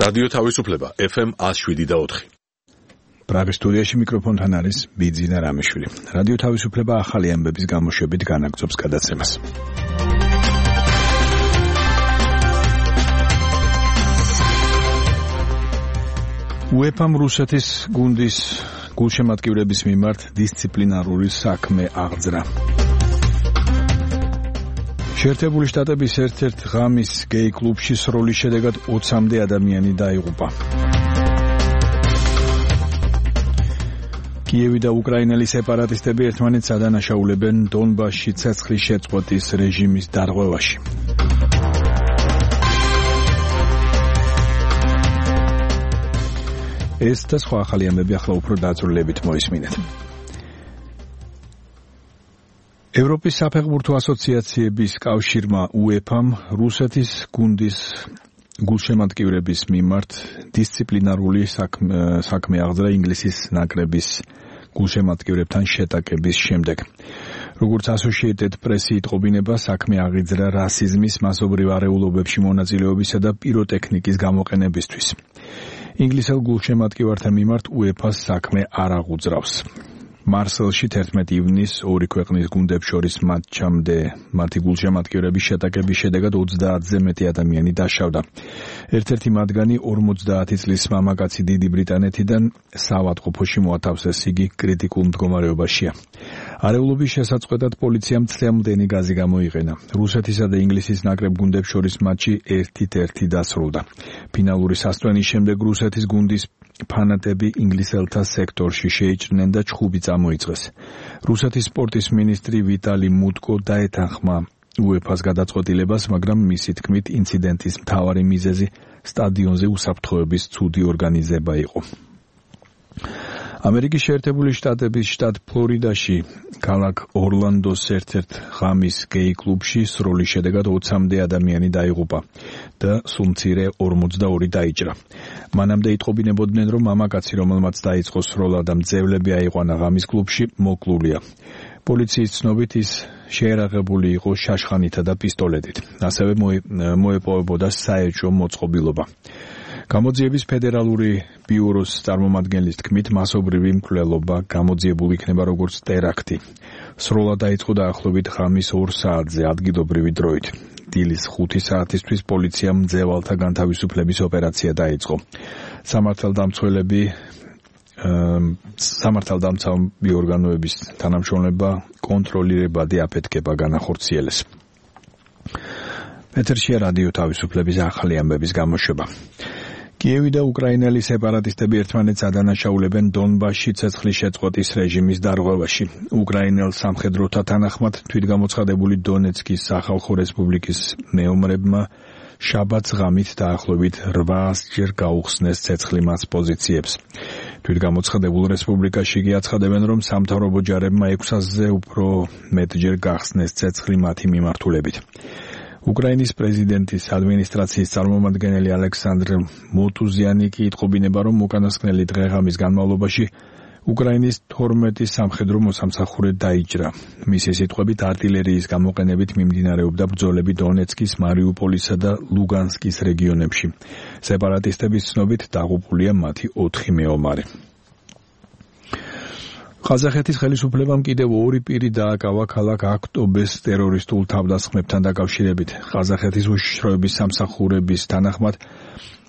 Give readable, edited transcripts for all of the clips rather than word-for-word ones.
რადიო თავისუფლება FM 107.4. პრაღის სტუდიაში მიკროფონთან არის ბიძინა რამიშვილი. რადიო თავისუფლება ახალი ამბების გამოშვებით განაგრძობს გადაცემას. UEFA-მ რუსეთის გუნდის გულშემატკივრების მიმართ დისციპლინარული საქმე აღძრა. შეერთებული შტატების ერთ-ერთ ღამის გეი კლუბში სროლის შედეგად 20-მდე ადამიანი დაიღუპა. კიევი და უკრაინელი სეპარატისტები ერთმანეთს ადანაშაულებენ დონბასში ცეცხლის შეწყვეტის რეჟიმის დარღვევაში. ეს და სხვა ახალი ამბები ახლა უფრო დაწვრილებით მოისმინეთ. ევროპის საფეხბურთო ასოციაციების კავშირმა UEFA-მ რუსეთის გუნდის გულშემატკივრების მიმართ დისციპლინარული საქმე აღძრა ინგლისის ნაკრების გულშემატკივრებთან შეტაკების შემდეგ. როგორც Associated Press იტყობინება, საქმე აღიძრა რასიზმის, მასობრივ არეულობებში მონაწილეობისა და პიროტექნიკის გამოყენებისთვის. ინგლისელ გულშემატკივართა მიმართ UEFA-ს საქმე არ აღუძრავს. მარსელში 11 ივნისს ორი ქვეყნის გუნდებს შორის მატჩამდე მათი გულშემატკივრების შეტაკების შედეგად 30-ზე მეტი ადამიანი დაშავდა. ერთ-ერთი მათგანი 50 წლის მამაკაცი დიდი ბრიტანეთიდან საავადმყოფოში მოათავსეს, იგი კრიტიკულ მდგომარეობაშია. არეულობის შესაწყდად პოლიციამ წლამდენი გაზი გამოიყენა. რუსეთისა და ინგლისის ნაკრებ გუნდებს შორის მატჩი 1-1 დასრულდა. ფინალური სასწვენის შემდეგ რუსეთის გუნდის ფანატები ინგლისელთა სექტორში შეიჭრნენ და ჩხუბი წამოიწყეს. რუსეთის სპორტის მინისტრი ვიტალი მუტკო დაეთანხმა UEFA-ს გადაწყვეტილებას, მაგრამ მისი თქმით ინციდენტის მთავარი მიზეზი სტადიონზე უსაფრთხოების ცუდი ორგანიზება იყო. ამერიკის შეერთებული შტატების შტატ ფლორიდაში ქალაქ ორლანდოს ერთ-ერთ ღამის გეი კლუბში სროლის შედეგად 20-მდე ადამიანი დაიღუპა და სულ მცირე 42 დაიჭრა. მანამდე იტყობინებოდნენ, რომ მამაკაცი, რომელმაც დაიწყო სროლა და მძევლები აიყვანა ღამის კლუბში, მოკლულია. პოლიციის ცნობით ის შეერაღებული იყო შაშხანითა და პისტოლეტით. ასევე მოეპოვებოდა საეჭვო მოწყობილობა. გამოძიების ფედერალური ბიუროს წარმომადგენლის თქმით, მასობრივი მკვლელობა გამოძიებული იქნება როგორც ტერაქტი. სროლა დაიწყო დაახლოებით ღამის 2 საათზე ადგილობრივი დროით. დილის 5 საათისთვის პოლიციამ მძევალთა განთავისუფლების ოპერაცია დაიწყო. სამართალდამცავი ორგანოების თანამშრომლობა კონტროლირებადი აფეთქება განახორციელეს. ეთერშია რადიო თავისუფლების ახალი ამბების გამოშვება. კიევი და უკრაინელი სეპარატისტები ერთმანეთს ადანაშაულებენ დონბასში ცეცხლის შეწყვეტის რეჟიმის დარღვევაში. უკრაინელ სამხედროთა თანახმად თვითგამოცხადებული დონეცკის სახალხო რესპუბლიკის მეომრებმა შაბათს ღამით დაახლოებით 800-ჯერ გაუხსნეს ცეცხლი მას პოზიციებს. თვითგამოცხადებულ რესპუბლიკაში კი აცხადებენ, რომ სამთავრობო ჯარებმა 600-ზე უფრო მეტჯერ გახსნეს ცეცხლი მათი მიმართულებით. უკრაინის პრეზიდენტის ადმინისტრაციის წარმომადგენელი ალექსანდრ მოტუზიანი კი იტყობინება, რომ უკანასკნელი დღე-ღამის განმავლობაში უკრაინის 12 სამხედრო მოსამსახურე დაიჭრა. მისი სიტყვებით, არტილერიის გამოყენებით მიმდინარეობდა ბრძოლები დონეცკის, მარიუპოლისა და ლუგანსკის რეგიონებში. სეპარატისტების ცნობით დაღუპულია მათი 4 მეომარი. ყაზახეთის ხელისუფლებამ კიდევ 2 პირი დააკავა ქალაქ აქტობეს ტერორისტულ თავდასხმებთან დაკავშირებით. ყაზახეთის უშიშროების სამსახურების თანახმად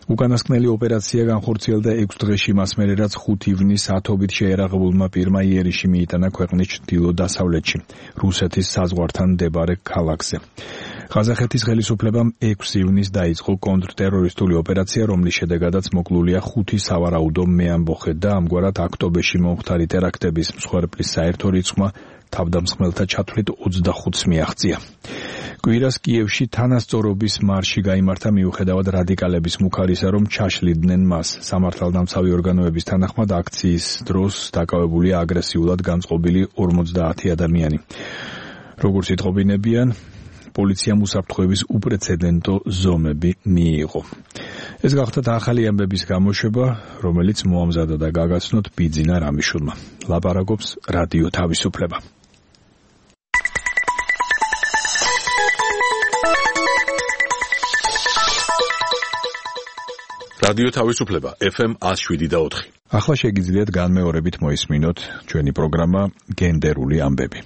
უკანასკნელი ოპერაცია განხორციელდა 6 დღეში, მას მერე რაც 5 ივნისს ათობით შეერაღებულმა პირმა იერიში მიიტანა ქვეყნის ჩრდილო-დასავლეთში, რუსეთის საზღვართან მდებარე ქალაქზე. ყაზახეთის ხელისუფლებამ 6 ივნისს დაიწყო კონტრტერორისტული ოპერაცია, რომლის შედეგადაც მოკლულია 5 სავარაუდო მეამბოხე და ამგვარად აქტობეში მომხდარი ტერაქტების მსხვერპლის საერთო რიცხვმა თავდამსხმელთა ჩათვლით 25-ს მიაღწია. კვირას კიევში თანასწორობის მარში გაიმართა მიუხედავად რადიკალების მუქარისა, რომ ჩაშლიდნენ მას. სამართალდამცავი ორგანოების თანახმად აქციის დროს დაკავებულია აგრესიულად განწყობილი 50 ადამიანი. როგორც იტყობინებიან, პოლიციამ უსაფრთხოების უპრეცედენტო ზომები მიიღო. ეს გახდათ ახალი ამბების გამოშვება, რომელიც მოამზადა და გაგაცნოთ ბიძინა რამიშვილმა. ლაპარაკობს რადიო თავისუფლება. რადიო თავისუფლება FM 107.4. ახლა შეგიძლიათ განმეორებით მოისმინოთ ჩვენი პროგრამა გენდერული ამბები.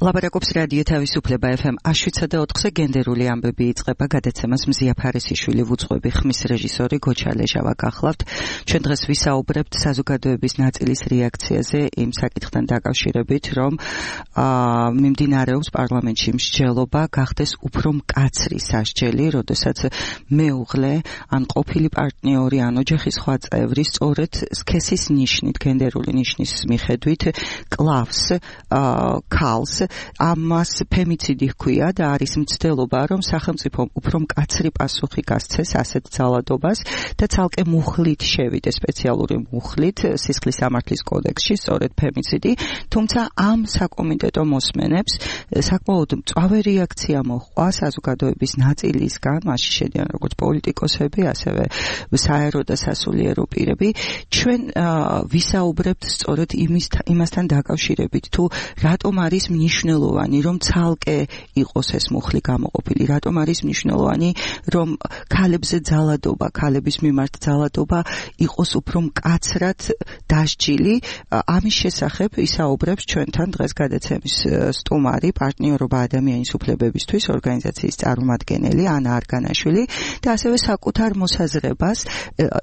ლაპარაკობს რადიო თავისუფლება FM 107.4-ზე გენდერული ამბები იწყება გადაცემას მზია ფარისიშვილი ვუძღვები ხმის რეჟისორი გოჩა ლეჟავა გახლავთ. ჩვენ დღეს ვისაუბრებთ საზოგადოების ნაწილის რეაქციაზე იმ საკითხთან დაკავშირებით, რომ მიმდინარეობს პარლამენტში მსჯელობა გახდეს უფრო მკაცრი სასჯელი, როდესაც მეუღლე ან ყოფილი პარტნიორი ან ოჯახის სხვა წევრი სწორედ სქესის ნიშნით, გენდერული ნიშნის მიხედვით კლავს ქალს ამას ფემიციდი ჰქვია და არის მცდელობა, რომ სახელმწიფო უფრო მკაცრი პასუხი გასცეს ასეთ ძალადობას და ცალკე მუხლით შევიდეს, სპეციალური მუხლით სისხლის სამართლის კოდექსში, სწორედ ფემიციდი, თუმცა ამ საკომიტეტო მოსმენებს საკმაოდ მწვავე რეაქცია მოჰყვა საზოგადოების ნაწილისგან, მასში შედიან როგორც პოლიტიკოსები, ასევე საერო და სასულიერო პირები. ჩვენ ვისაუბრებთ სწორედ იმასთან დაკავშირებით, თუ რატომ არის მნიშვნელოვანი, რომ ცალკე იყოს ეს მუხლი გამოყოფილი, რატომ არის მნიშვნელოვანი, რომ ქალებზე ძალადობა, ქალების მიმართ ძალადობა იყოს უფრო მკაცრად დასჯილი. ამის შესახებ ისაუბრებს ჩვენთან დღეს გადაცემის სტუმარი, პარტნიორობა ადამიანის უფლებებისთვის ორგანიზაციის წარმომადგენელი ანა არგანაშვილი და ასევე საკუთარ მოსაზრებას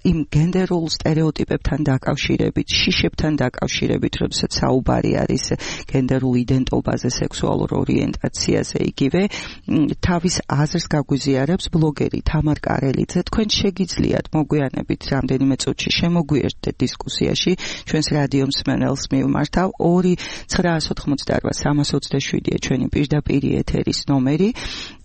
იმ გენდერულ სტერეოტიპებთან დაკავშირებით, შიშებთან დაკავშირებით, როდესაც საუბარი არის გენდერულ იდენტობაზე, სექსუალურ ორიენტაციაზე, იგივე თავის აზრს გაგვიზიარებს ბლოგერი თამარ კარელიძე. თქვენ შეგიძლიათ მოგვიანებით რამდენიმე წუთში შემოგვიერთდეთ დისკუსიაში, ჩვენს რადიო მსმენელს მივმართავ 2-988-327-ია ჩვენი პირდაპირი ეთერის ნომერი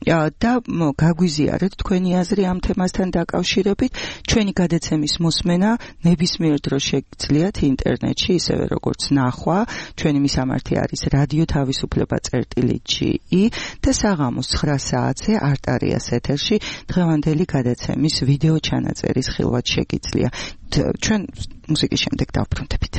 და გაგვიზიარეთ თქვენი აზრი ამ თემასთან დაკავშირებით. ჩვენი გადაცემის მოსმენა ნებისმიერ დროს შეგიძლიათ ინტერნეტში, ისევე როგორც ნახვა. ჩვენი მისამართი არის რადიო თავისუფლება.ge და საღამოს 9 საათზე არტარიას ეთერში დღევანდელი გადაცემის ვიდეო ჩანაწერის ხილვად შეგიძლია. ჩვენ მუსიკის შემდეგ დავბრუნდებით.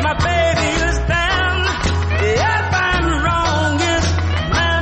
My baby is down. If I'm wrong, it's my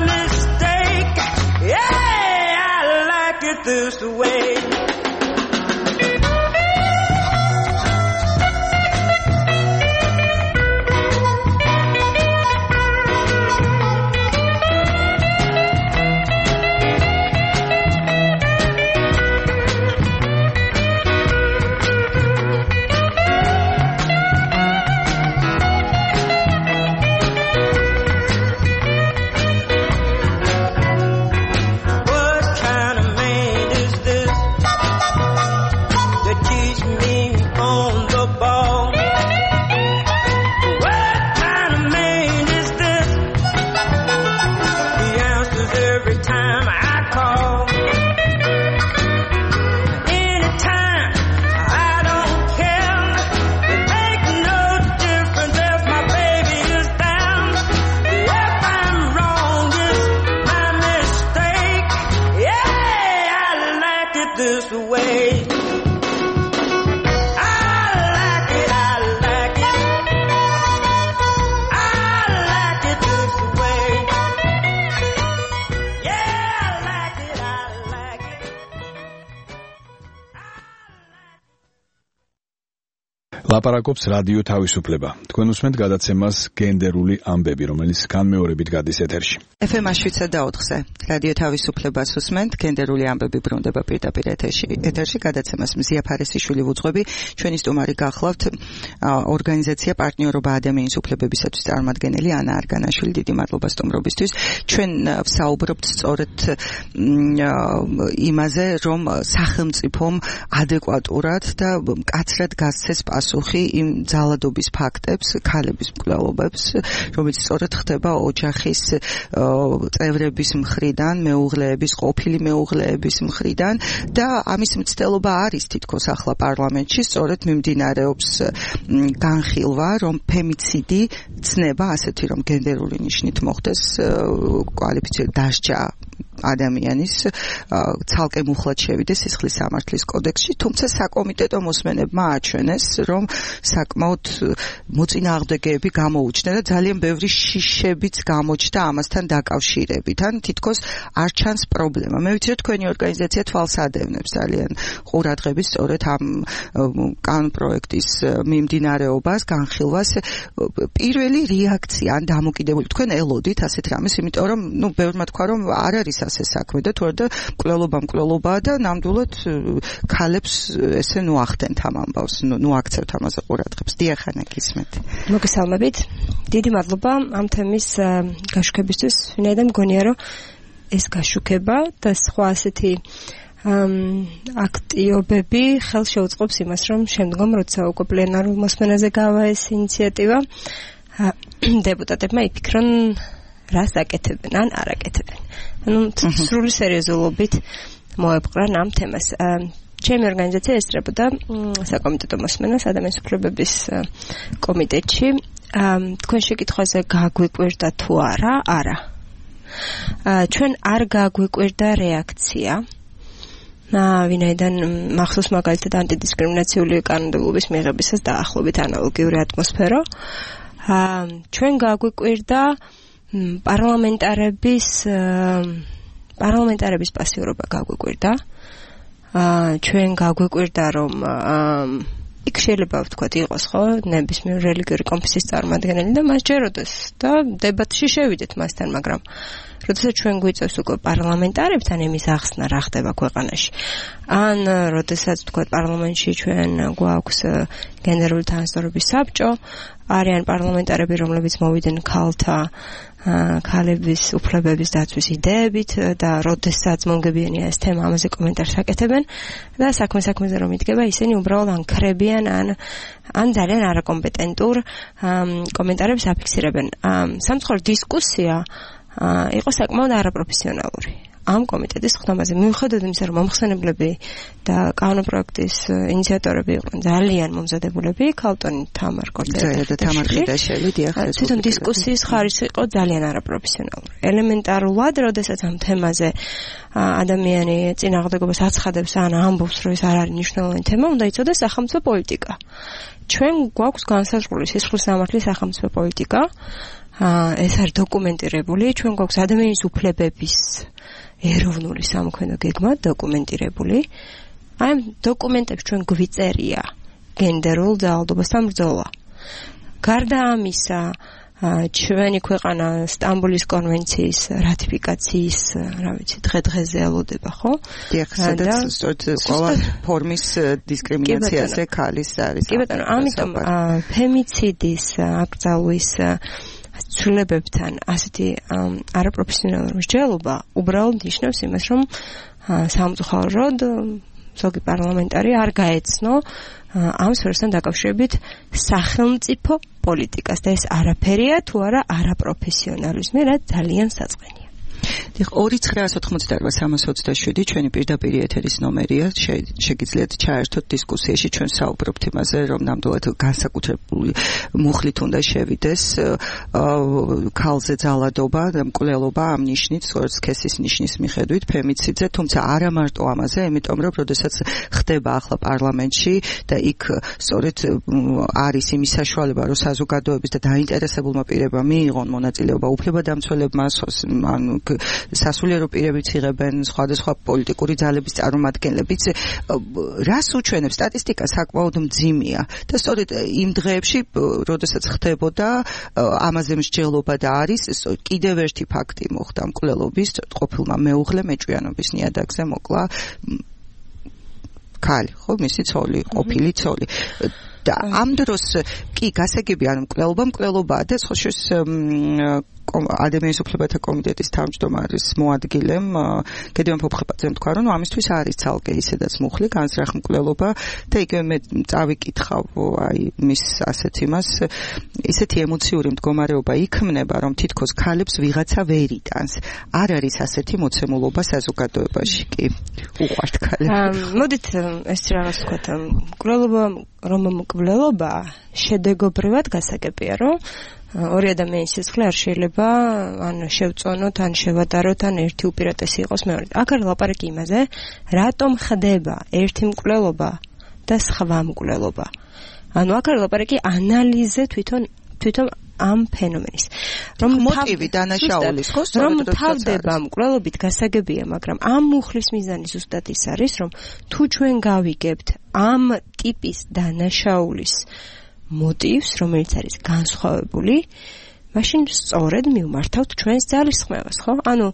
ლაპარაკობს რადიო თავისუფლება. თქვენ უსმენთ გადაცემას გენდერული ამბები, რომელიც განმეორებით გადის ეთერში. FM 7/4-ზე რადიო თავისუფლებას უსმენთ, გენდერული ამბები ბრუნდება პირდაპირ ეთერში გადაცემას მზია ფარესიშვილი ვუძღვები. ჩვენი სტუმარი გახლავთ ორგანიზაცია პარტნიორობა ადამიანის უფლებებისათვის წარმომადგენელი ანა არგანაშვილი. დიდი მადლობა სტუმრობისთვის. ჩვენ ვსაუბრობთ სწორედ იმაზე, რომ სახელმწიფომ ადეკვატურად და მკაცრად გასცეს პასუხი იმ ძალადობის ფაქტებს, ქალების მკვლელობებს, რომელიც სწორედ ხდება ოჯახის წევრების მხრიდან, მეუღლეების, ყოფილი მეუღლეების მხრიდან და ამის მცდელობა არის თითქოს ახლა პარლამენტში, სწორედ მიმდინარეობს განხილვა, რომ ფემიციდი ცნება ასეთი, რომ გენდერული ნიშნით მოხდეს კვალიფიცირებული დასჯა ადამიანის ცალკე მუხლად შევიდეს სისხლის სამართლის კოდექსში, თუმცა საკომიტეტო მოსმენებმა აჩვენეს, რომ საკმაოდ მოწინააღმდეგეები გამოუჩნდა და ძალიან ბევრი შიშებიც გამოჩნდა ამასთან დაკავშირებით. ან თითქოს არ ჩანს პრობლემა. მე ვიცი, რომ თქვენი ორგანიზაცია თვალს ადევნებს ძალიან ყურადღებით სწორედ ამ კანონპროექტის მიმდინარეობას, განხილვას. პირველი რეაქცია ან დამოკიდებული თქვენ ელოდით ასეთ რამეს, იმიტომ რომ ბევრმა თქვა, რომ არ არის ასე საქმე და თორე და მკვლელობაა და ნამდვილად ქალებს ესე ნუახდენთ ამ ამბავს, ნუაქცევთ ამაზე ყურადღებას. დიახ, ანა გისმენთ. მოგესალმებით. დიდი მადლობა ამ თემის გაშუქებისთვის. ვინაიდან მგონია, რომ ეს გაშუქება და სხვა ასეთი აქტიობები ხელს შეუწყობს იმას, რომ შემდგომ როცა უკვე პლენარულ მოსმენაზე გავა ეს ინიციატივა, დეპუტატებმა იფიქრონ რას აკეთებენ ან არ აკეთებენ. სრული სერიოზულობით მოეპყრან ამ თემას. ჩემი ორგანიზაცია ესწრებოდა საკომიტეტო მოსმენას ადამიანის უფლებების კომიტეტში. თქვენ შეკითხვაზე გაგვიკვირდა თუ არა? არა. ჩვენ არ გაგვიკვირდა რეაქცია. ვინაიდან მახსოვს მაგალითად ანტიდისკრიმინაციული კანონმდებლობის მიღებისას დაახლოებით ანალოგიური ატმოსფერო. ჩვენ გაგვიკვირდა პარლამენტარების პასიურობა გაგვიკვირდა. ჩვენ გაგვიკვირდა, რომ იქ შეიძლება ვთქვათ იყოს ხო ნებისმიერ რელიგიური კონფესიის წარმომადგენელი და მას ჯეროდეს და დებატში შევიდეთ მასთან, მაგრამ როდესაც ჩვენ გვიწევს უკვე პარლამენტარებთან იმის ახსნა რა ხდება ქვეყანაში, ან როდესაც ვთქვათ პარლამენტში ჩვენ გვაქვს გენდერული თანასწორობის საბჭო, არიან პარლამენტარები, რომლებიც მოვიდნენ ქალების უფლებების დაცვის იდეებით და როდესაც მომგებიანია ეს თემა, ამაზე კომენტარს აკეთებენ და საქმეზე რომ იდგება, ისინი უბრალოდ ან ქრებიან, ან ძალიან არაკომპეტენტურ კომენტარებს აფიქსირებენ. სამწუხაროდ დისკუსია იყო საკმაოდ არაპროფესიონალური ამ კომიტეტის ხდომაზე. მიუხედავად იმისა, რომ მომხსენებლები და კანონპროექტის ინიციატორები იყვნენ ძალიან მომზადებულები, ქალტონი თამარ ყორტაშვილი, თვითონ დისკუსიის ხარისხი იყო ძალიან არაპროფესიონალური. ელემენტარულად, როდესაც ამ თემაზე ადამიანი წინააღმდეგობას აცხადებს ან ამბობს, რომ ეს არ არის მნიშვნელოვანი თემა, უნდა იცოდეს სახელმწიფო პოლიტიკა. ჩვენ გვაქვს განსაზღვრული სისხლის სამართლის სახელმწიფო პოლიტიკა. ეს არის დოკუმენტირებული, ჩვენ გვაქვს ადამიანის უფლებების ეროვნული სამოქმედო გეგმა დოკუმენტირებული. აი ამ დოკუმენტებს ჩვენ გვიწერია გენდერულ ძალადობასთან ბრძოლა. გარდა ამისა, ჩვენი ქვეყანა სტამბოლის კონვენციის რატიფიკაციის, დღე-დღეზე ელოდება, ხო? დიახ, სადაც ყველა ფორმის დისკრიმინაციაზე ქალის არის. კი ბატონო, ამიტომ ფემიციდის აკრძალვის ცვლილებებთან ასეთი არაპროფესიონალური მსჯელობა უბრალოდ ნიშნავს იმას, რომ სამწუხაროდ ზოგი პარლამენტარი არ გაეცნო ამ სფეროსთან დაკავშირებით სახელმწიფო პოლიტიკას და ეს არაფერია თუ არა არაპროფესიონალიზმი, რაც ძალიან საწყენია. 2998327 ჩვენი პირდაპირ ეთერის ნომერია. შეგიძლიათ ჩაერთოთ დისკუსიაში. ჩვენ საუბრობთ იმაზე, რომ ნამდვილად განსაკუთრებული მუხლით უნდა შევიდეს ქალზე ძალადობა და მკვლელობა ამ ნიშნით, სწორედ სქესის ნიშნის მიხედვით ფემიციდზე, თუმცა არა მარტო ამაზე, იმიტომ რომ როდესაც ხდება ახლა პარლამენტში და იქ სწორედ არის იმის საშუალება, რომ საზოგადოების და დაინტერესებულმა პირებმა მიიღონ მონაწილეობა უფლებადამცველებმა, სასულიერო პირებიც იღებენ, სხვადასხვა პოლიტიკური ძალების წარმომადგენლებიც. რას უჩვენებს სტატისტიკა საკმაოდ მძიმეა და სწორედ იმ დღეებში, როდესაც ხდებოდა ამაზე მსჯელობა და არის კიდევ ერთი ფაქტი მოხდა მკვლელობის, ყოფილმა მეუღლე მეჭვიანობის ნიადაგზე მოკლა ქალი, ხო, მისი ცოლი, ყოფილი ცოლი. და ამ დროს კი გასაგებია, რომ მკვლელობაა და ხოშოს ადამიანის უფლებათა კომიტეტის თავმჯდომარის მოადგილემ გედევან ფოფხებაძემ თქვა, რომ ამისთვის არის ცალკე ისედაც მუხლი, განზრახ მკვლელობა და იგივე მე წავიკითხავ აი მის ასეთ იმას, ისეთი ემოციური მდგომარეობა იქმნება, რომ თითქოს ქალებს ვიღაცა ვერ იტანს. არ არის ასეთი მოცემულობა საზოგადოებაში კი. უყვართ ქალები. მოდით ეს რაღაც ვთქვათ, მკვლელობა შედეგობრივად გასაგებია, რომ ორი ადამიანის სისხლი არ შეიძლება ან შევწონოთ, ან შევადაროთ, ან ერთი უპირატესი იყოს მეორე. აქ არის ლაპარაკი იმაზე, რატომ ხდება ერთი მკვლელობა და სხვა მკვლელობა. ანუ აქ არის ლაპარაკი ანალიზე თვითონ ამ ფენომენის. რომ მოტივი დანაშაულის ხო რომ თავდება მკვლელობით გასაგებია, მაგრამ ამ მუხლის მიზანი ზუსტად ის არის, რომ თუ ჩვენ გავიგებთ ამ ტიპის დანაშაულის მოტივს, რომელიც არის განსხვავებული, მაშინ სწორედ მივმართავთ ჩვენს ძალისხმევას, ხო? ანუ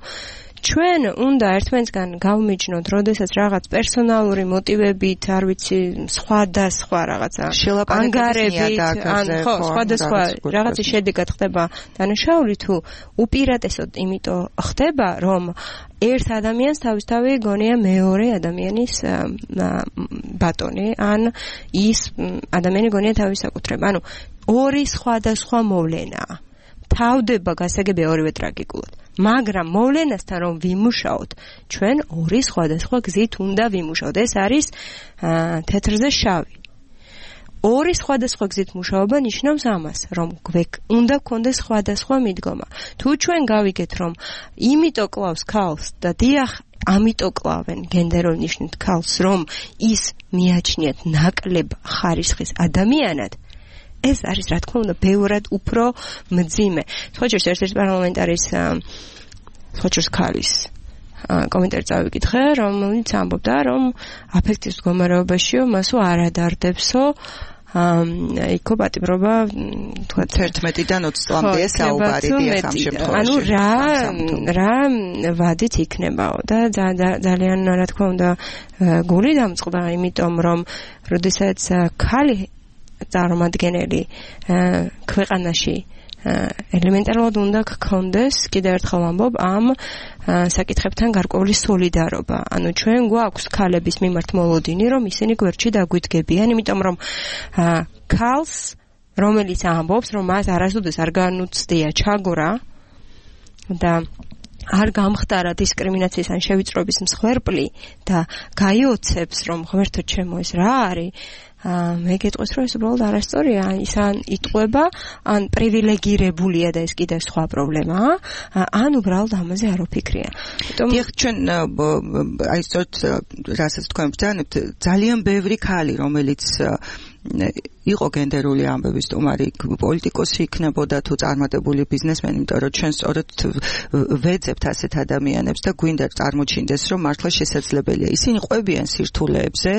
ჩვენ უნდა ერთმანეთსგან გავმიჯნოთ, როდესაც რაღაც პერსონალური მოტივებით, არ ვიცი, სხვადასხვა რაღაცა ანგარებით, ან ხო, სხვადასხვა რაღაცის შედეგად ხდება დანაშაული, თუ უპირატესოდ იმიტომ ხდება, რომ ერთ ადამიანს თავისთავად გონია მეორე ადამიანის ბატონი, ან ის ადამიანი გონია თავის საკუთრება. ანუ ორი სხვადასხვა მოვლენაა. თავდება გასაგებია ორივე ტრაგიკულად. მაგრამ მოვლენასთან რომ ვიმუშაოთ, ჩვენ ორი სხვადასხვა გზით უნდა ვიმუშაოთ. ეს არის თეთრზე შავი. ორი სხვადასხვა გზით მუშაობა ნიშნავს ამას, რომ უნდა გქონდეს სხვადასხვა მიდგომა. თუ ჩვენ გავიგეთ, რომ იმიტომ კლავს ქალს და დიახ, ამიტომ კლავენ გენდერულ ნიშნით ქალს, რომ ის მიაჩნიათ ნაკლებ ხარისხის ადამიანად, ეს არის რა თქმა უნდა ბევრად უფრო მძიმე. ხოჭერს ერთ-ერთი პარლამენტარის ხოჭერს ქალის კომენტარი წავიკითხე, რომელიც ამბობდა, რომ აფექტის მდგომარეობაშიო მასო არ ადარდებსო იქო პატიმრობა თქვა 11-დან 20 წლამდეა საუბარი დიახ ამ შემთხვევაში. ანუ რა ვადით იქნებაო და ძალიან რა თქმა უნდა გული დამწყდა, იმიტომ რომ როდესაც ქალი წარმომადგენელი ქვეყანაში ელემენტარულად უნდა გქონდეს, კიდევ ერთხელ ვამბობ, ამ საკითხებთან გარკვეული სოლიდარობა. ანუ ჩვენ გვაქვს ქალების მიმართ მოლოდინი, რომ ისინი გვერდში დაგვიდგებიან, იმიტომ რომ ქალს, რომელიც ამბობს, რომ მას არასოდეს არ განუცდია ჩაგვრა და არ გამხდარა დისკრიმინაციის ან შევიწროების მსხვერპლი და გაიოცებს, რომ ღმერთო ჩემო ეს რა არის, მე გეტყვის, რომ ეს უბრალოდ არასწორია, ის ან იტყვება, ან პრივილეგირებულია და ეს კიდევ სხვა პრობლემაა, ან უბრალოდ ამაზე არ ვფიქრია. დიახ, ჩვენ აი სწორედ რასაც თქვენ ბრძანებთ, ძალიან ბევრი ქალი, რომელიც იყო გენდერული ამბების სტუმარი, პოლიტიკოსი იქნებოდა თუ წარმატებული ბიზნესმენი, იმიტომ რომ ჩვენ სწორედ ვეძებთ ასეთ ადამიანებს და გვინდა წარმოჩინდეს, რომ მართლა შესაძლებელია. ისინი ყვებიან სირთულეებზე,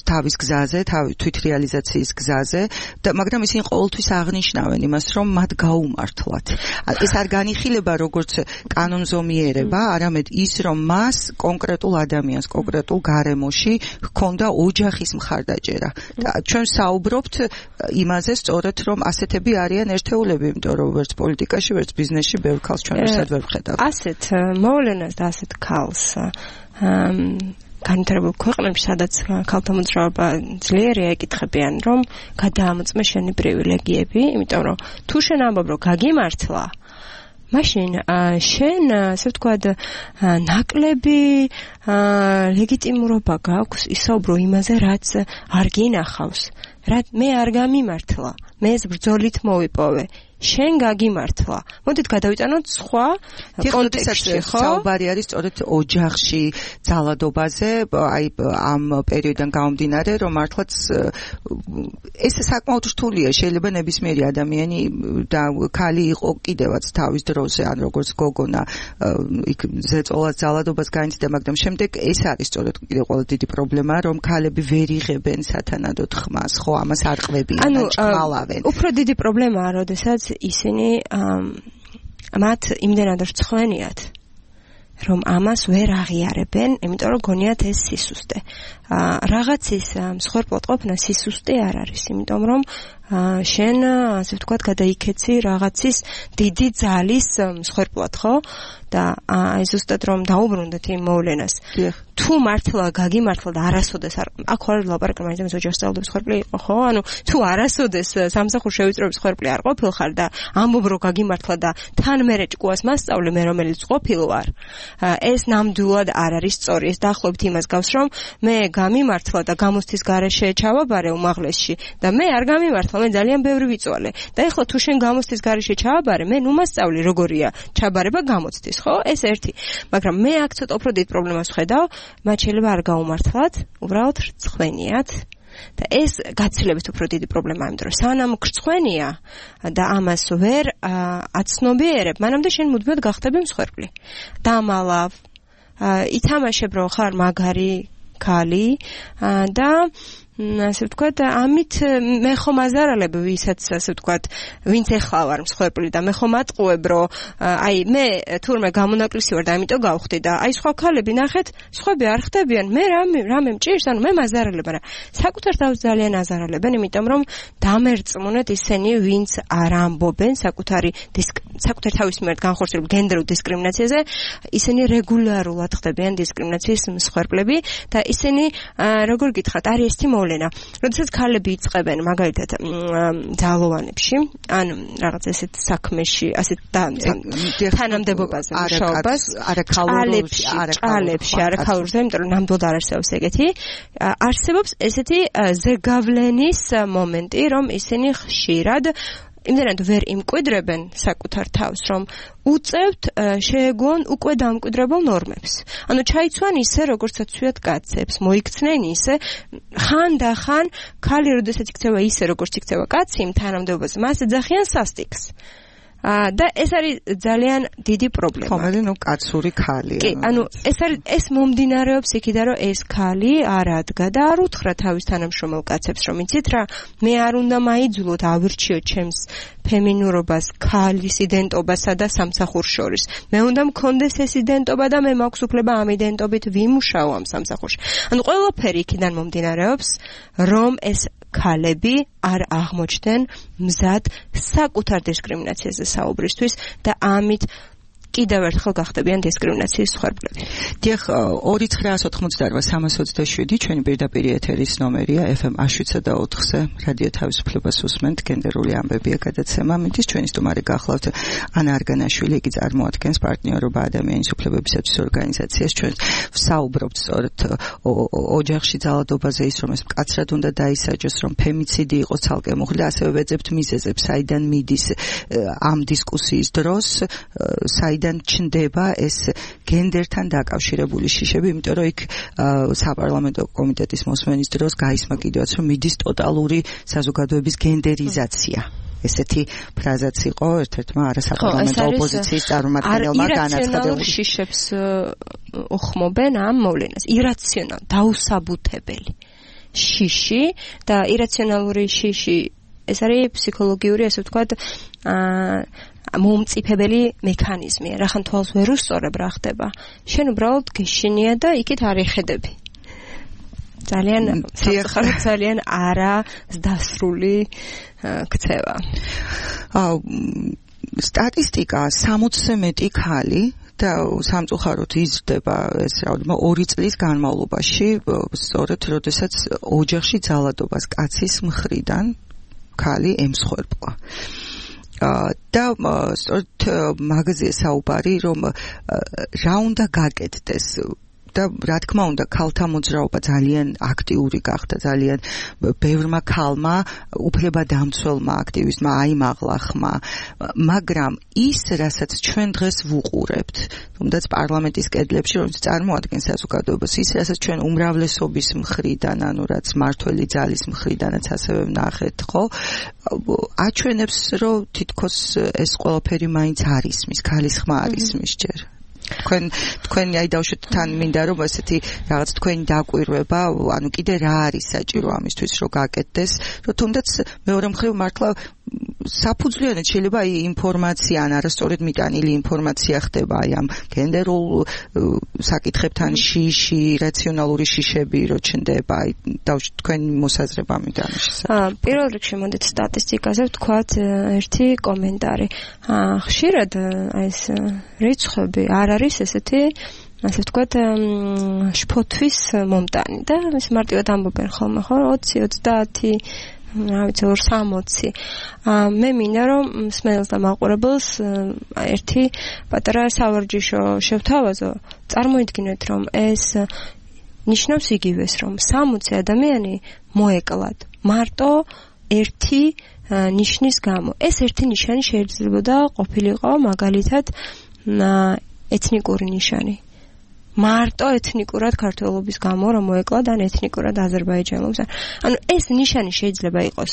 თავის გზაზე, თვითრეალიზაციის გზაზე, მაგრამ ისინი ყოველთვის აღნიშნავენ იმას, რომ მათ გაუმართლათ. ეს არ განიხილება როგორც კანონზომიერება, არამედ ის, რომ მას კონკრეტულ ადამიანს, კონკრეტულ გარემოში ჰქონდა ოჯახის მხარდაჭერა. და ჩვენ საუბრობთ იმაზე სწორედ, რომ ასეთები არიან ერთეულები, იმიტომ რომ ვერც პოლიტიკაში, ვერც ბიზნესში ბევრ ქალს ჩვენ ერთად ვერ ვხედავთ. ასეთ მოვლენას და ასეთ ქალს განვითარებულ ქვეყნებში, სადაც ქალთა მოძრაობა ძლიერია, ეკითხებიან, რომ გადაამოწმე შენი პრივილეგიები, იმიტომ რომ თუ შენ ამბობ, რომ გაგიმართლა, მაშინ შენ, ასე ვთქვათ, ნაკლები ლეგიტიმურობა გაქვს ისაუბრო იმაზე, რაც არ გინახავს. მე არ გამიმართლა, მე ეს ბრძოლით მოვიპოვე. შენ გაგიმართლა. მოდით გადავიტანოთ სხვა კონტექსტში, ხო? საუბარი არის სწორედ ოჯახში ძალადობაზე, აი ამ პერიოდიდან გამომდინარე, რომ მართლაც ეს საკმაოდ რთულია, შეიძლება ნებისმიერი ადამიანი და ქალი იყო კიდევაც თავის დროზე, ან როგორც გოგონა იქ ზეწოლას ძალადობას განიცდიდა, მაგრამ შემდეგ ეს არის სწორედ კიდევ ყველა დიდი პრობლემა, რომ ქალები ვერ იღებენ სათანადოდ ხმას, ხო, ამას არ ყვებიან, ჭმალავენ. უფრო დიდი პრობლემაა, როდესაც ისინი მათ იმდენად რცხვენიათ, რომ ამას ვერ აღიარებენ, იმიტომ რომ გონიათ ეს სისუსტე. რაღაცის მსხვერპლად ყოფნა სისუსტე არ არის, იმიტომ რომ შენ ასე ვთქვათ გადაიქეცი რაღაცის დიდი ძალის მსხვერპლად, ხო? და აი ზუსტად რომ დაუბრუნდეთ იმ მოვლენას. თუ მართლა გაგიმართლა და არასოდეს აქ არ ლაპარაკი მაინც ოჯახის ძალადობის მსხვერპლი იყო, ხო? ანუ თუ არასოდეს სამსახურ შევიწროების მსხვერპლი არ ყოფილხარ და ამბობ რომ გაგიმართლა და თან მერე ჭკუას მასწავლე მე რომელიც ყოფილ ვარ, ეს ნამდვილად არ არის სწორი. ეს დაახლოებით იმას გავს, რომ მე გამიმართლა და გამოცდის გარეშე ჩავაბარე უმაღლესში და მე არ გამიმართლა, მე ძალიან ბევრი ვიწვალე. და ეხლა თუ შენ გამოცდის გარეშე ჩავაბარე, მე ნუ მასწავლი როგორია ჩაბარება გამოცდის, ხო? ეს ერთი. მაგრამ მე აქ ცოტა უფრო დიდ პრობლემას ვხედავ, მათ შეიძლება არ გაუმართლათ, უბრალოდ რცხვენიათ. და ეს გაცილებით უფრო დიდი პრობლემაა, იმიტომ რომ სანამ გრცხვენია და ამას ვერ აცნობიერებ, მანამდე შენ მუდმივად გახდები მსხვერპლი. დამალავ, ითამაშებ რომ ხარ მაგარი ქალი და ასე ვთქვათ, ამით მე ხომ აზარალებ ვისაც ასე ვთქვათ, ვინც ეხლა ვარ მსხვერპლი და მე ხომ ატყუებ, რომ აი მე თურმე გამონაკლისი ვარ და ამიტომ გავხდი და აი სხვა ქალები ნახეთ, სხვები არ ხდებიან, მე რამე მჭირს, ანუ მე მაზარალებ, მაგრამ საკუთარ თავს ძალიან აზარალებენ, იმიტომ რომ დამერწმუნეთ ისინი, ვინც არ ამბობენ საკუთარ თავის მიმართ განხორციელებულ გენდერულ დისკრიმინაციაზე, ისინი რეგულარულად ხდებიან დისკრიმინაციის მსხვერპლები და ისინი როგორ გითხრათ, არის ესეთი მოვლენა. როდესაც ქალები იწყებენ მაგალითად ძალოვანებში, ან რაღაც ესეთ საქმეში, ასეთ თანამდებობაზე მუშაობას, არაქალურზე, იმიტომ რომ ნამდვილად არ არსებობს ეგეთი, არსებობს ესეთი ზეგავლენის მომენტი, რომ ისინი ხშირად იმდენად ვერ იმკვიდრებენ საკუთარ თავს, რომ უწევთ შეეგუონ უკვე დამკვიდრებულ ნორმებს. ანუ ჩაიცვან ისე, როგორცაც ცვიათ კაცებს, მოიქცნენ ისე, ხანდახან ქალი როდესაც იქცევა ისე, როგორც იქცევა კაცი იმ თანამდებობაზე, მას ეძახიან სასტიკს. და ეს არის ძალიან დიდი პრობლემა. ხომელი ნუ კაცური ქალია. კი, ანუ ეს მომდინარეობს იქიდან, რომ ეს ქალი არ ადგა და არ უთხრა თავის თანამშრომელ კაცებს, რომ იცით რა, მე არ უნდა მაიძულოთ, ავირჩიოთ ჩემს ფემინურობას, ქალის იდენტობასა და სამსახურს შორის. მე უნდა მქონდეს ეს იდენტობა და მე მაქვს უფლება ამ იდენტობით ვიმუშაო ამ სამსახურში. ანუ ყველაფერი იქიდან მომდინარეობს, რომ ეს ქალები არ აღმოჩნდნენ მზად საკუთარ დისკრიმინაციაზე საუბრისთვის და ამით კიდევ ერთხელ გახდებიან დისკრიმინაციის მსხვერპლები. დიახ, 2988327 ჩვენი პირდაპირ ეთერის ნომერია FM 107.4-ზე რადიო თავისუფლებას უსმენთ, გენდერული ამბებია გადაცემა. მითის ჩვენი სტუმარი გახლავთ ანა არგანაშვილი, იგი წარმოადგენს პარტნიორობა ადამიანის უფლებებისათვის ორგანიზაციას. ჩვენ ვსაუბრობთ სწორედ ოჯახში ძალადობაზე, ის რომ ეს მკაცრად უნდა დაისაჯოს, რომ ფემიციდი იყოს ცალკე მოხდა, ასევე ვეძებთ მიზეზებს, საიდან მიდის ამ დისკუსიის დროს, საიდან ჩნდება ეს გენდერთან დაკავშირებული შიშები, იმიტომ რომ იქ საპარლამენტო კომიტეტის მოსმენის დროს გაისმა კიდევაც, რომ მიდის ტოტალური საზოგადოების გენდერიზაცია. ესეთი ფრაზაც იყო ერთ-ერთმა არასაპარლამენტო ოპოზიციის წარმომადგენელმა განაცხადა. ირაციონალურ შიშებს უხმობენ ამ მოვლენას. ირაციონალ, დაუსაბუთებელი შიში და ირაციონალური შიში ეს არის ფსიქოლოგიური, ასე ვთქვათ, მომწიფებელი მექანიზმი. რახან თვალს ვერ უსწორებ რა ხდება. შენ უბრალოდ გეშინია და იქით არ ეხედები. ძალიან არა დასრული ქცევა. სტატისტიკა 60-ზე მეტი ქალი და სამწუხაროდ იზრდება ეს რაოდენობა 2 წლის განმავლობაში, სწორედ როდესაც ოჯახში ძალადობას კაცის მხრიდან ქალი ემსხვერპლა. და სწორედ მაგაზია საუბარი, რომ რა უნდა გაკეთდეს. და რა თქმა უნდა ქალთა მოძრაობა ძალიან აქტიური გახდა, ძალიან ბევრმა ქალმა უფლებადამცველმა აქტივისტმა აიმაღლა ხმა, მაგრამ ის რასაც ჩვენ დღეს ვუყურებთ, თუნდაც პარლამენტის კედლებში, რომელიც წარმოადგენს საზოგადოებას, ის რასაც ჩვენ უმრავლესობის მხრიდან, ანუ რაც მართველი ძალის მხრიდანაც ასევე ვნახეთ, ხო? აჩვენებს, რომ თითქოს ეს ყველაფერი მაინც არ ისმის, ქალის ხმა არ ისმის ჯერ. თქვენ აი დავშვით თან მინდა რომ ესეთი რაღაც თქვენი დაკვირვება, ანუ კიდე რა არის საჭირო ამისთვის რომ გაკეთდეს, რომ თუნდაც მეორე მხრივ მართლა საფუძვლიანად შეიძლება აი ინფორმაცია ან არასწორად მიტანილი ინფორმაცია ხდება აი ამ გენდერულ საკითხებთან შიში, რაციონალური შიშები რო ჩნდება, აი დავშვით თქვენი მოსაზრება მინდა ამის შესახებ. პირველ რიგში მოდით სტატისტიკაზე ვთქვათ ერთი კომენტარი. ხშირად აი ეს რიცხვები არ არის ესეთი ასე ვთქვათ შფოთვის მომტანი და ის მარტივად ამბობენ ხოლმე ხო 20 30 რა ვიცი 60. მე მინდა რომ მსმენელს და მაყურებელს ერთი პატარა სავარჯიშო შევთავაზო. წარმოიდგინეთ რომ ეს ნიშნავს იგივეს რომ 60 ადამიანი მოეკლათ მარტო ერთი ნიშნის გამო. ეს ერთი ნიშანი შეიძლება ყოფილიყო მაგალითად ეთნიკური ნიშანი. მარტო ეთნიკურად ქართველობის გამო რომ მოეკლათ ან ეთნიკურად აზერბაიჯანელებს. ანუ ეს ნიშანი შეიძლება იყოს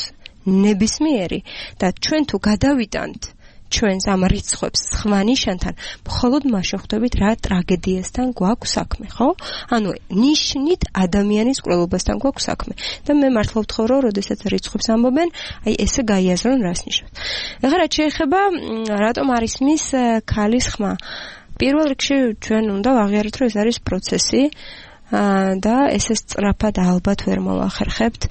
ნებისმიერი და ჩვენ თუ გადავიტანთ ჩვენს ამ რიცხვებს სხვა ნიშანთან, მხოლოდ მაშინ ხვდებით რა ტრაგედიასთან გვაქვს საქმე, ხო? ანუ ნიშნით ადამიანის კვლევასთან გვაქვს საქმე. და მე მართლა ვთხოვ რომ როდესაც რიცხვებს ამბობენ, აი ესე გაიაზრონ რას ნიშნავს. ეხლა რაც შეეხება რატომ არ ისმის ქალის ხმა. პირველ რიგში ჩვენ უნდა ვაღიაროთ, რომ ეს არის პროცესი და ესე სწრაფად ალბათ ვერ მოვახერხებთ.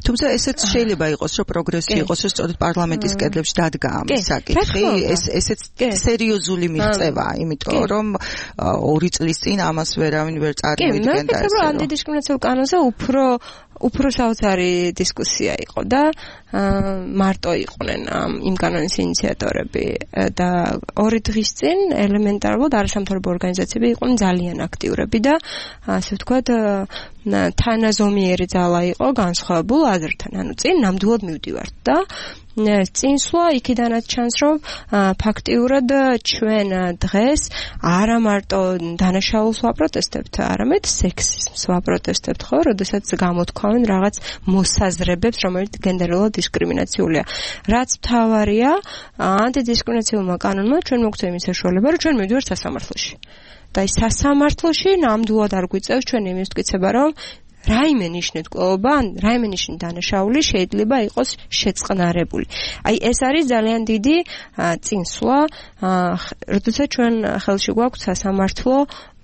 თუმცა ესეც შეიძლება იყოს, რომ პროგრესი იყოს, რომ სწორედ პარლამენტის კედლებში დადგა ამის საკითხი, ესეც სერიოზული მიღწევაა, იმიტომ რომ 2 წლის წინ ამას ვერავინ ვერ წარმოიდგენდა ესე. მე ანტიდისკრიმინაციულ კანონზე უფრო საოცარი დისკუსია იყო და მარტო იყვნენ იმ კანონის ინიციატორები და 2 დღის წინ ელემენტარულად არასამთავრობო ორგანიზაციები იყვნენ ძალიან აქტიურები და ასე ვთქვათ თანაზომიერი ძალა იყო განსხვავებულ აზრთან. ანუ წინ ნამდვილად მივდივართ და წინსვლა იქიდანაც ჩანს რომ ფაქტიურად ჩვენ დღეს არა მარტო დანაშაულს ვაპროტესტებთ, არამედ სექსიზმს ვაპროტესტებთ, ხო, როდესაც გამოთქვამენ რაღაც მოსაზრებებს, რომელიც გენდერულად დისკრიმინაციულია. რაც მთავარია, ანტიდისკრიმინაციულმა კანონმა ჩვენ მოგცემ იმის საშუალება, რომ ჩვენ მივდივართ სასამართლოში. და ის სასამართლოში ნამდვილად არ გვიწევს ჩვენ იმის მტკიცება, რომ რაიმე ნიშნით კვლეობა ან რაიმე ნიშნით დანაშაული შეიძლება იყოს შეწყნარებული. აი ეს არის ძალიან დიდი წინსვლა, როდესაც ჩვენ ხელში გვაქვს სასამართლო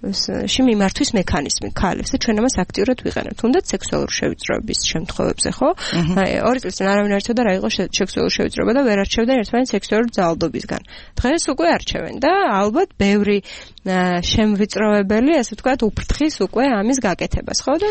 მიმართვის მექანიზმი ქალებს და ჩვენ ამას აქტიურად ვიყენებთ. თუნდაც სექსუალური შევიწროების შემთხვევებზე, ხო? 2 წლის წინ არავინ არ იცოდა რა იყო სექსუალური შევიწროება და ვერ არჩევდნენ ერთმანეთს სექსუალური ძალადობისგან. დღეს უკვე არჩევენ და ალბათ ბევრი შემვიწროვებელი, ასე ვთქვათ, უფრთხის უკვე ამის გაკეთებას, ხო? და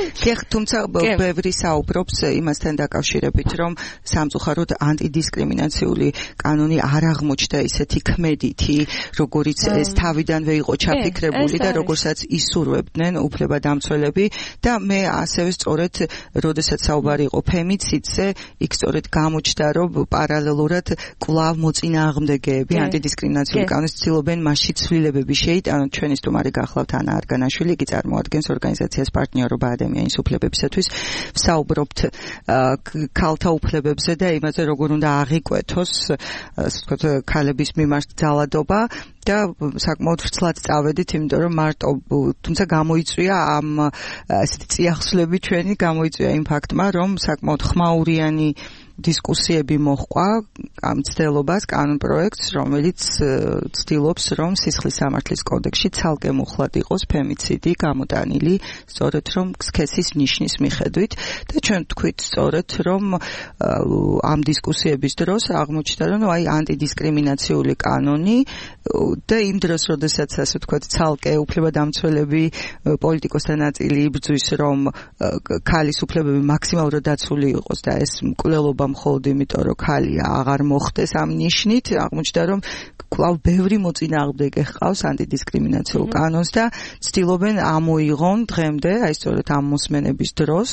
თუმცა ბევრი საუბრობს იმასთან დაკავშირებით, რომ სამწუხაროდ ანტიდისკრიმინაციული კანონი არ აღმოჩნდა ისეთი ქმედითი, როგორიც ეს თავიდანვე იყო ჩაფიქრებული და როგორცაც ისურვებდნენ უფლებადამცველები და მე ასევე სწორედ როდესაც საუბარი იყო ფემიციდზე, იქ სწორედ გამოჩნდა, რომ პარალელურად კვლავ მოწინააღმდეგეები ანტიდისკრიმინაციული კანონის ცდილობენ მასში ცვლილებები შეიტანონ. ჩვენი სტუმარი გახლავთ ანა არგანაშვილი, იგი წარმოადგენს ორგანიზაციას პარტნიორობა ადამიანის უფლებებისათვის. ვსაუბრობთ ქალთა უფლებებზე და იმაზე, როგორ უნდა აღიკვეთოს, ასე ვთქვათ, ქალების მიმართ ძალადობა და საკმაოდ ვრცლად წავედით, იმიტომ რომ მარტო თუმცა გამოიწვია ამ ესეთი წიაღსვლები ჩვენი გამოიწვია იმ ფაქტმა, რომ საკმაოდ ხმაურიანი დისკუსიები მოჰყვა ამ ცდელობას კანონპროექტს, რომელიც ცდილობს, რომ სისხლის სამართლის კოდექსში ცალკე მუხლად იყოს ფემიციდი გამოტანილი, სწორედ რომ სქესის ნიშნის მიხედვით და ჩვენ თქვით სწორედ, რომ ამ დისკუსიების დროს აღმოჩნდა, რომ აი ანტიდისკრიმინაციული კანონი და იმ დროს, როდესაც ასე ვთქვათ, ცალკე უფლებადამცველები პოლიტიკოსთა ნაწილი იბრძვის, რომ ქალის უფლებები მაქსიმალურად დაცული იყოს და ეს მკვლელობა მხოლოდ იმიტომ რომ ქალია აღარ მოხდეს ამ ნიშნით აღმოჩნდა რომ კვლავ ბევრი მოწინააღმდეგე ჰყავს ანტიდისკრიმინაციულ კანონს და ცდილობენ ამოიღონ დღემდე აი სწორედ ამ მოსმენების დროს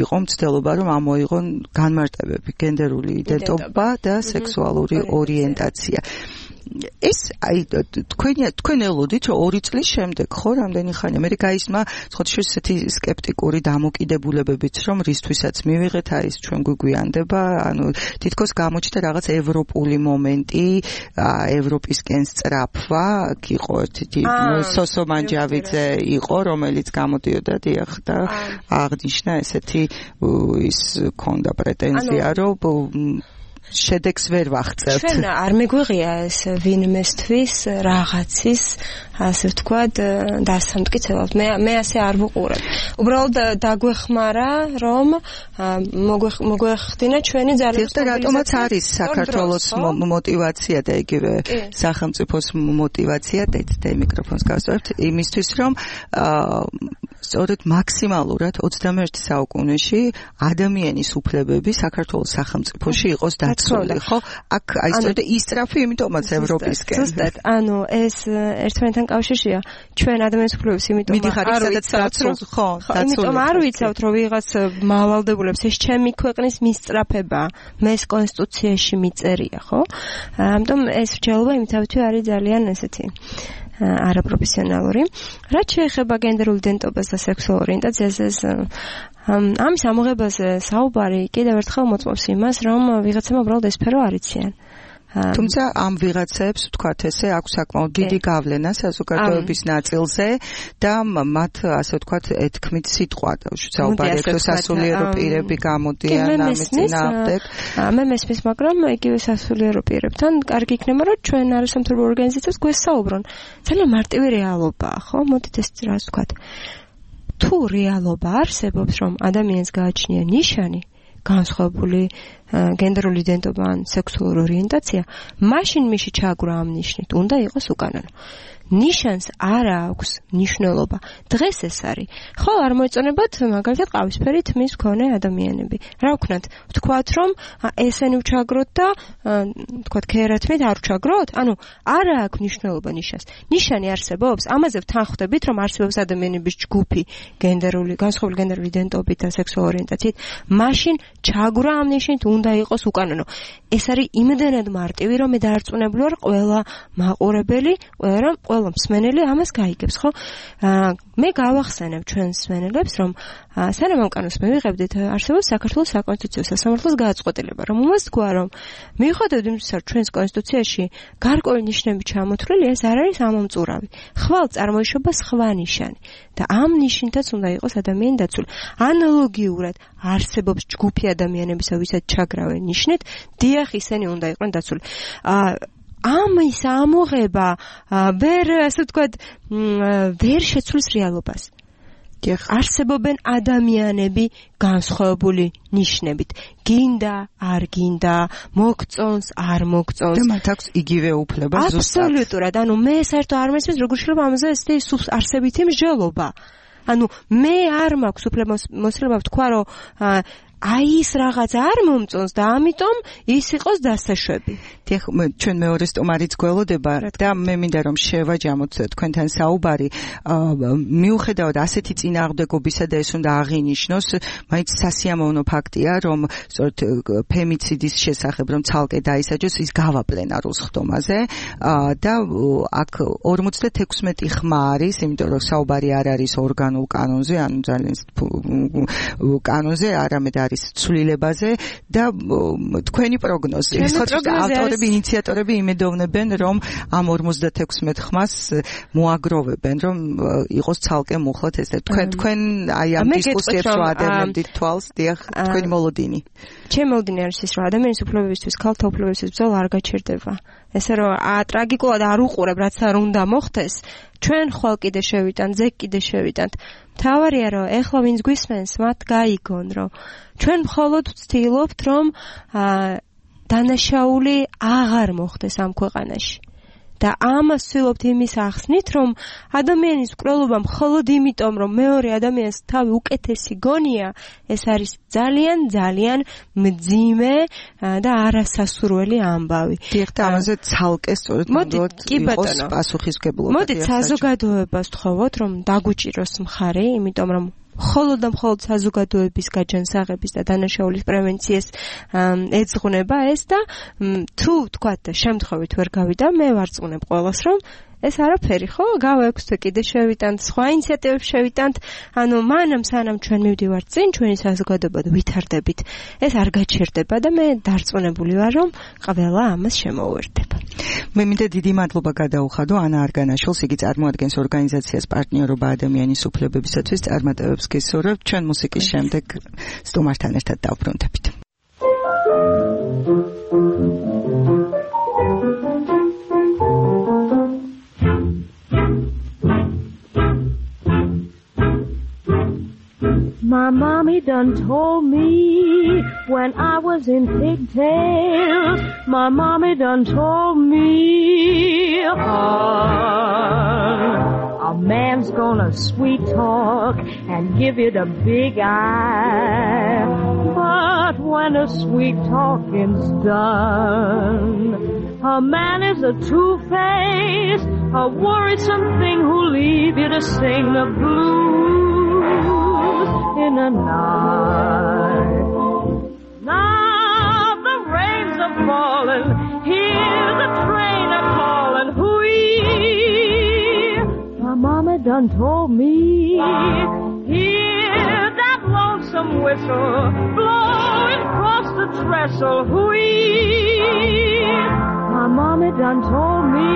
იყო მცდელობა რომ ამოიღონ განმარტებები გენდერული იდენტობა და სექსუალური ორიენტაცია ეს აი თქვენ ელოდით რომ 2 წლის შემდეგ ხო რამდენი ხანი მე გაისმა ხოთში ესეთი სკეპტიკური დამოკიდებულებებიც რომ რისთვისაც მივიღეთ არის ჩვენ გვიგვიანდება ანუ თითქოს გამოჩნდა რაღაც ევროპული მომენტი ევროპისკენ სწრაფვა იყო ერთი სოსო მანჯავიძე იყო რომელიც გამოდიოდა დიახ და აღნიშნა ესეთი ის ქონდა პრეტენზია რომ შედეგს ვერ ვაღწევთ. ჩვენ არ მეგვიღია ეს ვინმესთვის რაღაცის ასე ვთქვათ დასამტკიცებლად. მე ასე არ ვუყურებ. უბრალოდ დაგვეხმარა რომ მოგვეხდინა ჩვენი ძალების და რატომაც არის საქართველოს мотиваცია და იგივე სახელმწიფოს мотиваცია და მიკროფონს გავსწორებთ იმისთვის რომ სწორედ მაქსიმალურად 21 საუკუნეში ადამიანის უფლებები საქართველოს სახელმწიფოში იყოს დაცული, ხო? აქ აი სწორედ ისწრაფი იმიტომაც ევროპისკენ. ზუსტად, ანუ ეს ერთმანეთთან კავშირშია. ჩვენ ადამიანის უფლებებს იმიტომ არ ვიცავთ, ხო, იმიტომ არ ვიცავთ, რომ ვიღაც მავალდებულებს ეს ჩემი ქვეყნის მისწრაფება, მეს კონსტიტუციაში მიწერია, ხო? ამიტომ ეს რჩეულობა იმთავითი არის ძალიან ესეთი არაპროფესიონალური. რაც შეეხება გენდერულ იდენტობას და სექსუალურ ორიენტაციას, ამის ამოღებაზე საუბარი კიდევ ერთხელ მოწმობს იმას, რომ ვიღაცამ უბრალოდ ეს სფერო არ იციან. თუმცა ამ ვიღაცებს ვთქვათ ესე აქვს საკმაოდ დიდი გავლენა საზოგადოების ნაწილზე და მათ ასე ვთქვათ ეთქმით სიტყვა საუბარი აქვს სასულიერო პირები გამოდიან ამის წინააღმდეგ. მე მესმის, მაგრამ იგივე სასულიერო პირებთან კარგი იქნება რომ ჩვენ არასამთავრობო ორგანიზაციებს გვესაუბრონ. ძალიან მარტივი რეალობაა, ხო? მოდით ეს რას ვთქვათ. თუ რეალობა არსებობს რომ ადამიანს გააჩნია ნიშანი განსხვავებული გენდერული იდენტობა ან სექსუალური ორიენტაცია, მაშინ მიში ჩაგვრა ამ ნიშნით უნდა იყოს უკანონო. ნიშანს არ აქვს მნიშვნელობა. დღეს ეს არის. ხო, არ მოეწონებათ მაგალითად ყავისფერი თმის მქონე ადამიანები. რა ვქნათ? ვთქვათ რომ ესენი ვჩაგროთ და ვთქვათ ქერათმით არ ვჩაგროთ? ანუ არ აქვს მნიშვნელობა ნიშანს. ნიშანი არსებობს, ამაზე ვთანხმდებით რომ არსებობს ადამიანების ჯგუფი გენდერული, განსხვავებული გენდერული იდენტობით და სექსუალური ორიენტაციით, მაშინ ჩაგვრა ამ ნიშნით უნდა იყოს უკანონო. ეს არის იმდენად მარტივი რომ მე დაარწმუნებული ვარ ყველა მაყურებელი, ყველა მსმენელი ამას გაიგებს, ხო? მე გავახსენებ ჩვენს მსმენელებს, რომ სანამ ამ კანონს მივიღებდით, არსებობს საქართველოს საკონსტიტუციო სასამართლოს გადაწყვეტილება, რომელმაც თქვა, რომ მიუხედავად იმისა, რომ ჩვენს კონსტიტუციაში გარკვეული ნიშნები ჩამოთვლილი, ეს არ არის ამომწურავი. ხვალ წარმოიშობა სხვა ნიშანი და ამ ნიშნითაც უნდა იყოს ადამიანი დაცული. ანალოგიურად არსებობს ჯგუფი ადამიანებისა, ვისაც ჩაგრავენ ნიშნით, დიახ, ისინი უნდა იყვნენ დაცული. ამის ამოღება ვერ ასე ვთქვათ ვერ შეცვლის რეალობას. არსებობენ ადამიანები განსხვავებული ნიშნებით. გინდა, არ გინდა, მოგწონს, არ მოგწონს. და მათ აქვს იგივე უფლება ზუსტად. აბსოლუტურად. ანუ მე საერთოდ არ მესმის როგორ შეიძლება ამაზე ესეთი არსებითი მსჯელობა. ანუ მე არ მაქვს უფლებამოსილება ვთქვა რომ აი ის რაღაც არ მომწონს და ამიტომ ის იყოს დასაშვები. დიახ, ჩვენ მეორე სტუმარიც გველოდება და მე მინდა რომ შევაჯამოთ თქვენთან საუბარი. მიუხედავად ასეთი წინააღმდეგობისა და ეს უნდა აღინიშნოს, მაინც სასიამოვნო ფაქტია, რომ სწორედ ფემიციდის შესახებ რომ ცალკე დაისაჯოს ის გავა პლენარულ სხდომაზე და აქ 56 ხმა არის, იმიტომ რომ საუბარი არ არის ორგანულ კანონზე, ანუ ძალიან კანონზე, არამედ არის ცვლილებაზე და თქვენი პროგნოზი. ავტორები, ინიციატორები იმედოვნებენ, რომ ამ 56 ხმას მოაგროვებენ, რომ იყოს ცალკე მუხლად ეს. თქვენ აი ამ დისკუსიებს რო ადევნებდით თვალს, დიახ, თქვენი მოლოდინი. ჩემი მოლოდინი არის ის, რომ ადამიანის უფლებებისთვის, ქალთა უფლებებისთვის ბრძოლა არ გაჩერდება. ესე რომ ტრაგიკულად არ უყურებ, რაც არ უნდა მოხდეს, ჩვენ ხვალ კიდე შევიტანთ, ზეგ კიდე შევიტანთ. მთავარია რომ ეხლა ვინც გვისმენს, მათ გაიგონ, რომ ჩვენ მხოლოდ ვცდილობთ, რომ დანაშაული აღარ მოხდეს ამ ქვეყანაში. და ამას ვცდილობთ იმის ახსნით, რომ ადამიანის მკვლელობა მხოლოდ იმიტომ, რომ მეორე ადამიანს თავი უკეთესი გონია, ეს არის ძალიან ძალიან მძიმე და არასასურველი ამბავი. დიახ, და ამაზე ცალკე სწორედ იყოს პასუხისმგებლობა. მოდით საზოგადოებას ვთხოვოთ, რომ დაგვიჭიროს მხარი, იმიტომ რომ მხოლოდ და მხოლოდ საზოგადოების გაჯანსაღების და დანაშაულის პრევენციას ეძღვნება ეს და თუ თქვათ შემთხვევით ვერ გავიდა, მე ვარწმუნებ ყველას, რომ ეს არაფერი, ხო? გავექვსთვე კიდე შევიტანთ, სხვა ინიციატივებს შევიტანთ, ანუ მანამ სანამ ჩვენ მივდივართ წინ, ჩვენი საზოგადოება ვითარდებით, ეს არ გაჩერდება და მე დარწმუნებული ვარ, რომ ყველა ამას შემოუერთდება. მე მინდა დიდი მადლობა გადაუხადო ანა არგანაშვილს, იგი წარმოადგენს ორგანიზაციას პარტნიორობა ადამიანის უფლებებისათვის წარმატებებს გესურვებთ. ჩვენ მუსიკის შემდეგ სტუმართან ერთად დავბრუნდებით. My mommy done told me when I was in pigtails. My mommy done told me a man's gonna sweet talk and give you the big eye. But when the sweet talking's done, a man is a two-faced, a worrisome thing who'll leave you to sing the blues in a night. Now the rains are falling, hear the train a-calling, hoo-wee. My mama done told me, hear that lonesome whistle blowing across the trestle, hoo-wee. My mama done told me,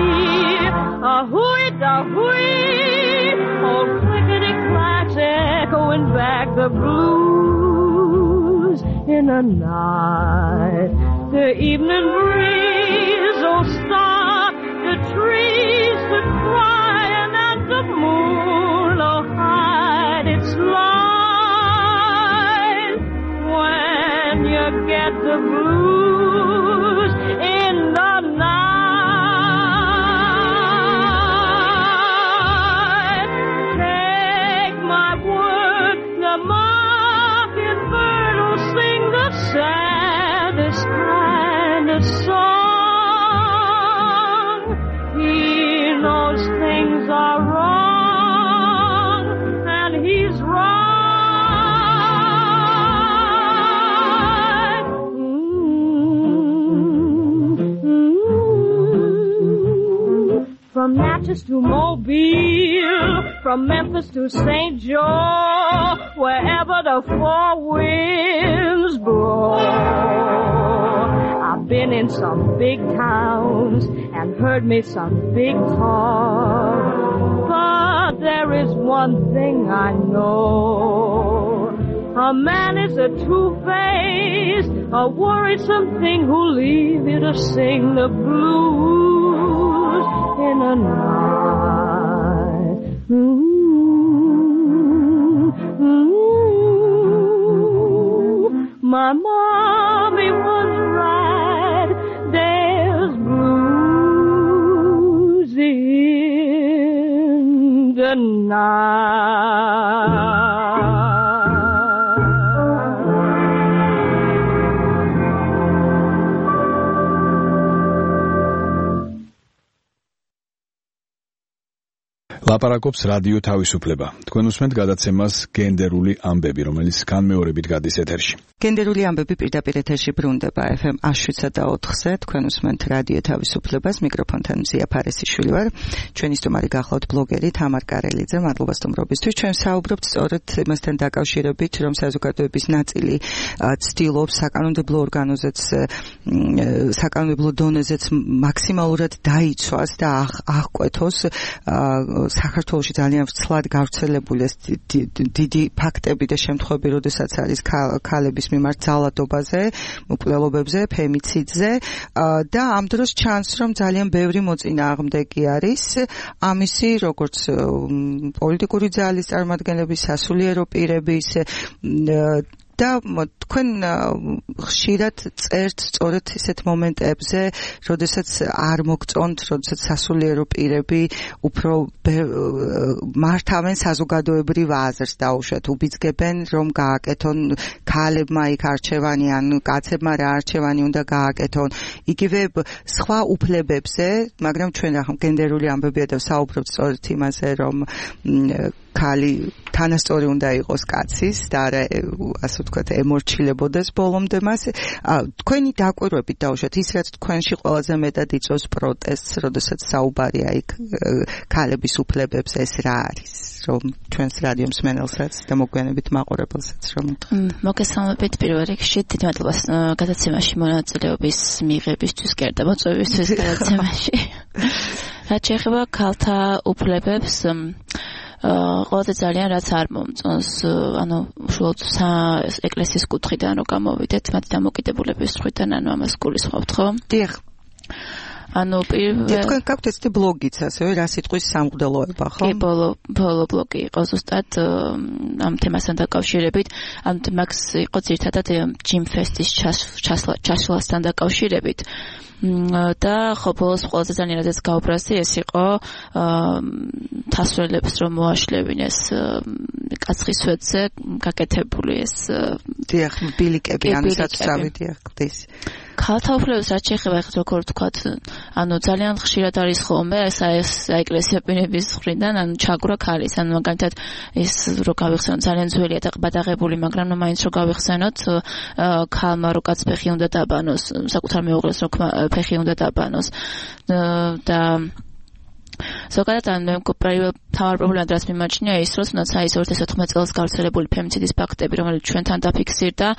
a-hoo-wee-da-hoo-wee, oh clickety-clacks echoing back the blues in the night. The evening breeze, oh stop the trees to crying, and the moon, oh hide its light. When you get the blues in the night, take my word, the mockingbird will sing the saddest kind of song. He knows things are wrong, and he's right. From Natchez to Mobile, from Memphis to St. Joe, wherever the four winds blow. I've been in some big towns and heard me some big talk, but there is one thing I know. A man is a two-faced, a worrisome thing who'll leave you to sing the blues in a night. My mommy was right, there's blues in the night. ლაპარაკობს რადიო თავისუფლება. თქვენ უსმენთ გადაცემას გენდერული ამბები, რომელიც განმეორებით გადის ეთერში. გენდერული ამბები პირდაპირ ეთერში ბრუნდება FM 107.4-ზე. თქვენ უსმენთ რადიო თავისუფლებას, მიკროფონთან მზია ფარესიშვილი ვარ. ჩვენი სტუმარი გახლავთ ბლოგერი თამარ კარელიძე. მადლობა სტუმრობისთვის. ჩვენ საუბრობთ სწორედ იმასთან დაკავშირებით, რომ საზოგადოების ნაწილი ცდილობს საკანონმდებლო ორგანოზეც, საკანონმდებლო დონეზეც მაქსიმალურად დაიცვას და აღკვეთოს საქართველოში ძალიან ვრცლად გავრცელებული ეს დიდი ფაქტები და შემთხვევები, როდესაც არის ქალების მიმართ ძალადობაზე, მკვლელობებზე, ფემიციდზე და ამ დროს ჩანს, რომ ძალიან ბევრი მოწინააღმდეგე არის ამისი, როგორც პოლიტიკური ძალის წარმომადგენლების, სასულიერო პირების და თქვენ ხშირად წერთ სწორედ ისეთ მომენტებზე, როდესაც არ მოგწონთ, როდესაც სასულიერო პირები უფრო მართავენ საზოგადოებრივ აზრს დაუშვათ, უბიძგებენ, რომ გააკეთონ ქალებმა იქ არჩევანი ან კაცებმა რა არჩევანი უნდა გააკეთონ. იგივე სხვა უფლებებზე, მაგრამ ჩვენ ახლა გენდერული ამბებია და საუბრობთ სწორედ იმაზე, რომ ქალი თანასწორი უნდა იყოს კაცის და არა ასე ვთქვათ ემორჩილებოდეს ბოლომდე მას. თქვენი დაკვირვებით დაუშვათ ის რაც თქვენში ყველაზე მეტად იწვევს პროტესტს, როდესაც საუბარია იქ ქალების უფლებებზე, ეს რა არის? რომ ჩვენს რადიო მსმენელსაც და მოგვიანებით მაყურებელსაც რომ მოგესალმებით პირველ რიგში დიდი მადლობა გადაცემაში მონაწილეობის მიღებისთვის და მოწვევისთვის გადაცემაში. რაც შეეხება ქალთა უფლებებს ყველაზე ძალიან რაც არ მომწონს, ანუ უშუალოდ ეკლესიის კუთხიდან რომ გამოვიდეთ, მათი დამოკიდებულების მხრიდან, ანუ ამას გულისხმობთ, ხო? დიახ. ანუ პირველ თქვენ გაქვთ ესეთი ბლოგიც ასევე რა სიტყვის სამღვდელოება, ხო? კი, ბოლო ბლოგი იყო ზუსტად ამ თემასთან დაკავშირებით, ანუ მაგს იყო ძირითადად ჯიმ ფესტის ჩასვლასთან დაკავშირებით. და ხო ბოლოს ყველაზე ძალიან რადგან გაუბრაზდი ეს იყო თასვლელებს რომ მოაშლევინეს კაცხის სვეტზე გაკეთებული ეს დიახ ბილიკები ანუ საწავი დიახ ხდის ქალთა უფლებებს რაც შეეხება ახლა როგორ ვთქვათ ანუ ძალიან ხშირად არის ხოლმე ეს ეკლესია პირების მხრიდან ანუ ჩაგვრა ქალის ანუ მაგალითად ეს რო გავიხსენოთ ძალიან ძველია და ყბადაღებული მაგრამ ნუ მაინც რო გავიხსენოთ ქალმა რო კაცფეხი უნდა დაბანოს საკუთარ მეუღლეს რო ფეხი უნდა დაბანოს და ზოგადად ან თავარ პრობლემა რაც მიმაჩნია ის რომ თუნდაც აი 2014 წელს გავრცელებული ფემიციდის ფაქტები რომელიც ჩვენთან დაფიქსირდა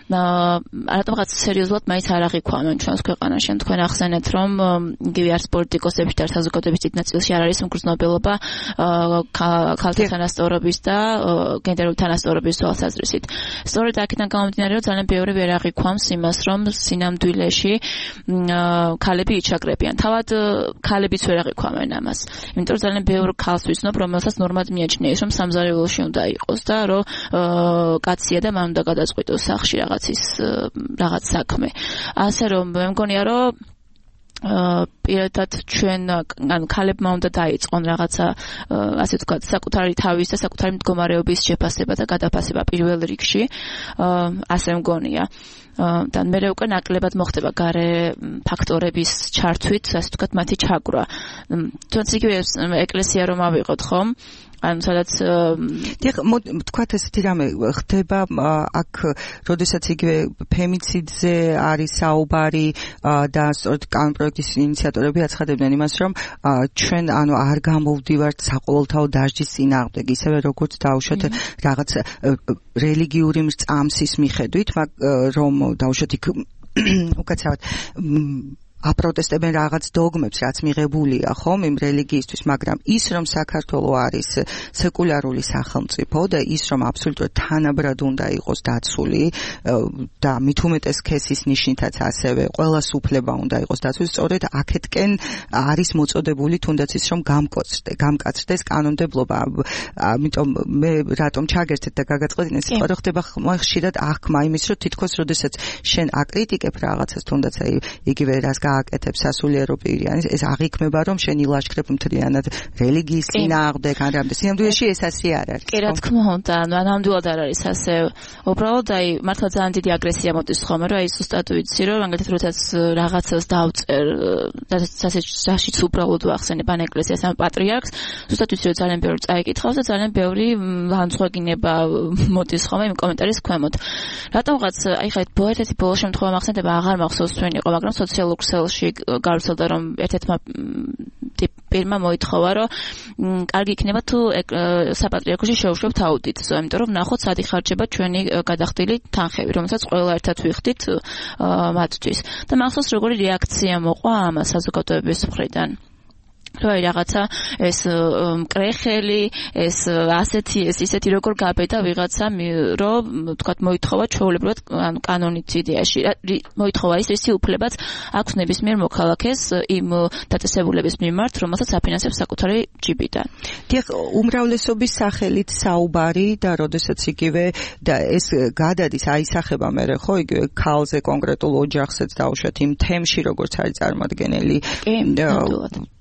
არათუმღაც სერიოზულად მაინც არ აღიქვამენ ჩვენს ქვეყანაში თქვენ ახსენეთ რომ იგივე არც პოლიტიკოსებში და საზოგადოების დიდ ნაწილში არ არის მგრძნობელობა ქალთა თანასწორობის და გენდერული თანასწორობის თვალსაზრისით სწორედ აქედან გამომდინარე რომ ძალიან ბევრი ვერ აღიქვამს იმას რომ სინამდვილეში ქალები იჩაგრებიან თავად ქალებიც ვერ აღიქვამენ ამას იმიტომ რომ ძალიან ბევრი ქალს ვიცნობ რომელსაც ნორმად მიაჩნია ის რომ სამზარეულოში უნდა იყოს და რომ კაცია და მან უნდა გადაწყვიტოს სახში რაღაც საქმე. ასე რომ მე მგონია რომ პირადად ჩვენ ანუ ქალებმა უნდა დაიწყონ რაღაცა ასე ვთქვათ საკუთარი თავის და საკუთარი მდგომარეობის შეფასება და გადაფასება პირველ რიგში ასე მგონია და მე უკვე ნაკლებად მოხდება გარე ფაქტორების ჩართვით ასე ვთქვათ მათი ჩაგვრა თუნდაც იგივე ეკლესია რომ ავიღოთ ხომ ანუ სადაც თქვათ ესეთი რამე ხდება აქ როდესაც იგივე ფემიციდზე არის საუბარი და სწორედ კანონპროექტის ინიციატორები აცხადებდნენ იმას რომ ჩვენ ანუ არ გამოვდივართ საყოველთაო დასჯის წინააღმდეგ ისევე როგორც დაუშვათ რაღაც რელიგიური მრწამსის მიხედვით რომ დაუშვათ იქ უკაცრავად აპროტესტებენ რაღაც დოგმებს, რაც მიღებულია, ხომ, იმ რელიგიისთვის, მაგრამ ის რომ საქართველო არის სეკულარული სახელმწიფო და ის რომ აბსოლუტურად თანაბრად უნდა იყოს დაცული და მით უმეტეს ქესის ნიშნითაც ასევე ყველას უფლება უნდა იყოს დაცული, სწორედ აქეთკენ არის მოწოდებული თუნდაც ის რომ გამკაცრდეს კანონმდებლობა. ამიტომ მე რატომ ჩაგერთეთ და გაგაწყედინე სიტყვა რომ ხდება ხშირად აღქმა იმის რომ თითქოს როდესაც შენ აკრიტიკებ რაღაცას თუნდაც იგივე რას გააკეთებს სასულიერო პირი ეს აღიქმება რომ შენ ილაშქრებ მთლიანად რელიგიის წინააღმდეგ ან რამდენ სინამდვილეში ეს ასე არ არის კი რა თქმა უნდა ანუ ნამდვილად არ არის ასე უბრალოდ აი მართლა ძალიან დიდი აგრესია მოდის ხოლმე რომ აი ზუსტად ვიცი რომ მაგალითად როდესაც რაღაცას დავწერ და საშიც უბრალოდ ვახსენებ ან ეკლესიას ან პატრიარქს ზუსტად ვიცი რომ ძალიან ბევრი წაიკითხავს და ძალიან ბევრი განსხვავება მოდის ხოლმე იმ კომენტარის ქვემოთ რატომღაც აი ხა ერთ-ერთი ბოლო შემთხვევა მახსენდება აღარ მახსოვს თქვენ იყო მაგრამ სოციალურ ქსელში გავრცელდა რომ ერთ-ერთმა პირმა მოითხოვა რომ კარგი იქნება თუ საპატრიარქოში შევშვებთ აუდიტს იმიტომ რომ ნახოთ სად იხარჯება ჩვენი გადახდილი თანხები რომელსაც ყველა ერთად ვიხდით მათთვის და მახსოვს როგორი რეაქცია მოყვა ამ საზოგადოების მხრიდან რა რაღაცა ეს მკრეხელი ეს ასეთი ეს ისეთი როგორ გაბედა ვიღაცა რომ თქვათ მოითხოვა ჩვეულებრივად ანუ კანონით იდეაში მოითხოვა ის რისი უფლებაც აქვს ნებისმიერ მოქალაქეს იმ დაწესებულების მიმართ რომელსაც აფინანსებს საკუთარი ჯიბიდან. დიახ, უმრავლესობის სახელით საუბარი და როდესაც იგივე და ეს გადადის აისახება მე ხო იგივე ქალზე კონკრეტულ ოჯახსაც დაუშვათ იმ თემში როგორც არის წარმოადგენელი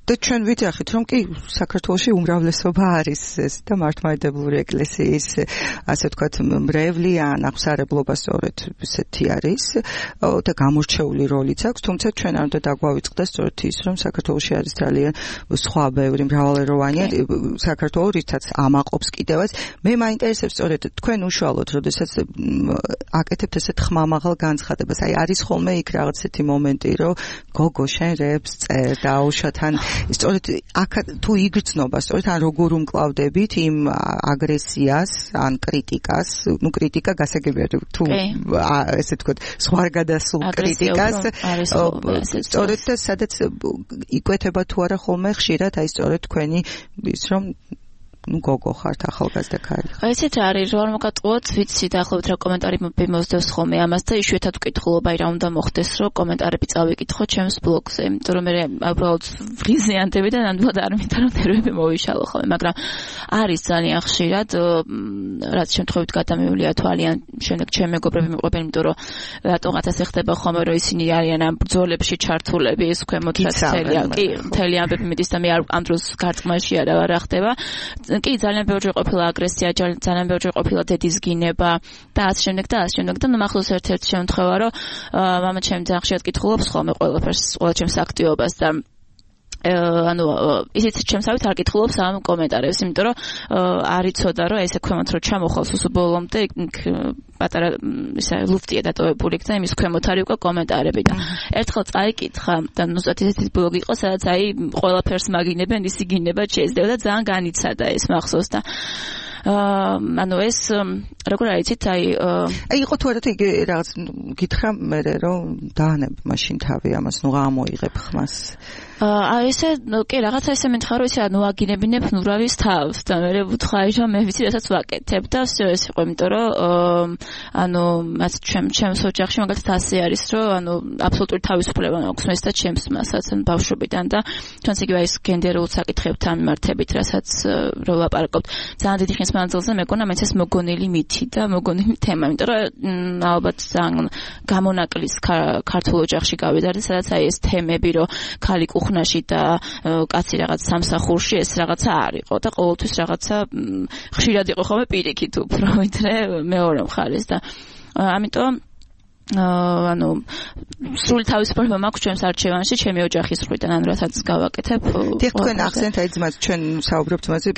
და ჩვენ ვიძახით რომ კი საქართველოში უმრავლესობა არის ეს და მართლმადიდებლური ეკლესიის ასე ვთქვათ მრევლი ან აღსარებლობა სწორედ ესეთი არის და გამორჩეული როლიც აქვს თუმცა ჩვენ არ უნდა დაგვავიწყდეს სწორედ ის რომ საქართველოში არის ძალიან სხვა ბევრი მრავალეროვანი საქართველო რითაც ამაყობს კიდევაც მე მაინტერესებს სწორედ თქვენ უშუალოდ როდესაც აკეთებთ ესეთ ხმამაღალ განცხადებას აი არის ხოლმე იქ რაღაც ესეთი მომენტი რომ გოგო შენ რეპს წერ და უშათან სწორედ აქ თუ იგრძნობა სწორედ ან როგორ უმკლავდებით იმ აგრესიას ან კრიტიკას ნუ კრიტიკა გასაგებია თუ ესე ვთქვათ სხვაგადასულ კრიტიკას სწორედ და სადაც იკვეთება თუ არა ხოლმე ხშირად აი სწორედ თქვენი ის რომ ну გოგო ხართ ახალგაზრდა ქალი. ესეც არის რომ მოგატყუოთ ვიცი დაახლოებით რა კომენტარი მომსდევს ხოლმე ამას და იშვიათად ვკითხულობ აი რა უნდა მოხდეს რომ კომენტარები წავიკითხო ჩემს ბლოგზე იმიტომ რომ მე უბრალოდ ვრიზიანტები და ნამდვილად არ მინდა რომ ნერვები მოვიშალო ხოლმე მაგრამ არის ძალიან ხშირად რაც შემთხვევით გადამეულია თვალიან შემდეგ ჩემ მეგობრები მიყვებენ იმიტომ რომ რატოღაც ასე ხდება ხოლმე რომ ისინი არიან ამ ბრძოლებში ჩართულები ეს ქვემოთ რაც მთელი ამბები მიდის და მე ამ დროს გარწყმაში არა ხდება კი ძალიან ბევრი ყოფილა აგრესია, ძალიან ბევრი ყოფილა დედის გინება და ასე შემდეგ და მახსოვს ერთ-ერთი შემთხვევა რომ მამა ჩემი ძალიან ხშირად კითხულობს ხოლმე ყველაფერს, ყველა ჩემს აქტივობას და ანუ ისიც ჩემსავით არ კითხულობს ამ კომენტარებს, იმიტომ რომ არ იცოდა რომ ესე ქვემოთ რომ ჩამოხვალს უსუბოლომდე პატარა ისა ლუფტია დატოვებული და იმის ქვემოთ არის უკვე კომენტარები და ერთხელ წაიკითხა და ნუ ისეთი ბლოგი იყო სადაც აი ყველაფერს მაგინებენ ისი გინება შეიძლება და ძალიან განიცადა ეს მახსოვს და ანუ ეს როგორ არიცით აი იყო თუ არა იგი რაღაც გითხრა მე რომ დაანებ მაშინ თავი ამას ნუ გამოიღებ ხმას ესე კი რაღაცა ესე მითხა რომ ისე ანუ აგინებინებ ნურავის თავს და მე ვუთხარი რომ მე ვიცი რასაც ვაკეთებ და ეს იყო იმიტომ რომ ანუ მას ჩემს ოჯახში მაგალითად ასე არის რომ ანუ აბსოლუტური თავისუფლება მაქვს მეს და ჩემს მასაც ან ბავშვობიდან და ჩვენს იგივე ეს გენდერულ საკითხებთან მიმართებით რასაც რო ვაპარაკობთ ძალიან დიდი ხნის მანძილზე მეკონა მეც ეს მოგონილი მითი და მოგონილი თემა იმიტომ რომ ალბათ ძალიან გამონაკლის ქართულ ოჯახში გავიდა და სადაც აი ეს თემები რომ ქალი ხუნაში და კაცი რაღაც სამსახურში ეს რაღაცა არისო და ყოველთვის რაღაცა ხშირად იყო ხოლმე პირიქით უფრო ვიდრე მეორე მხარეს და ამიტომ ანუ სრული თავისუფლება მაქვს ჩვენს არჩევანში ჩემი ოჯახის მხრიდან ან რასაც გავაკეთებ დიახ თქვენ ახსენეთ აი ძმაც ჩვენ საუბრობთ მასზე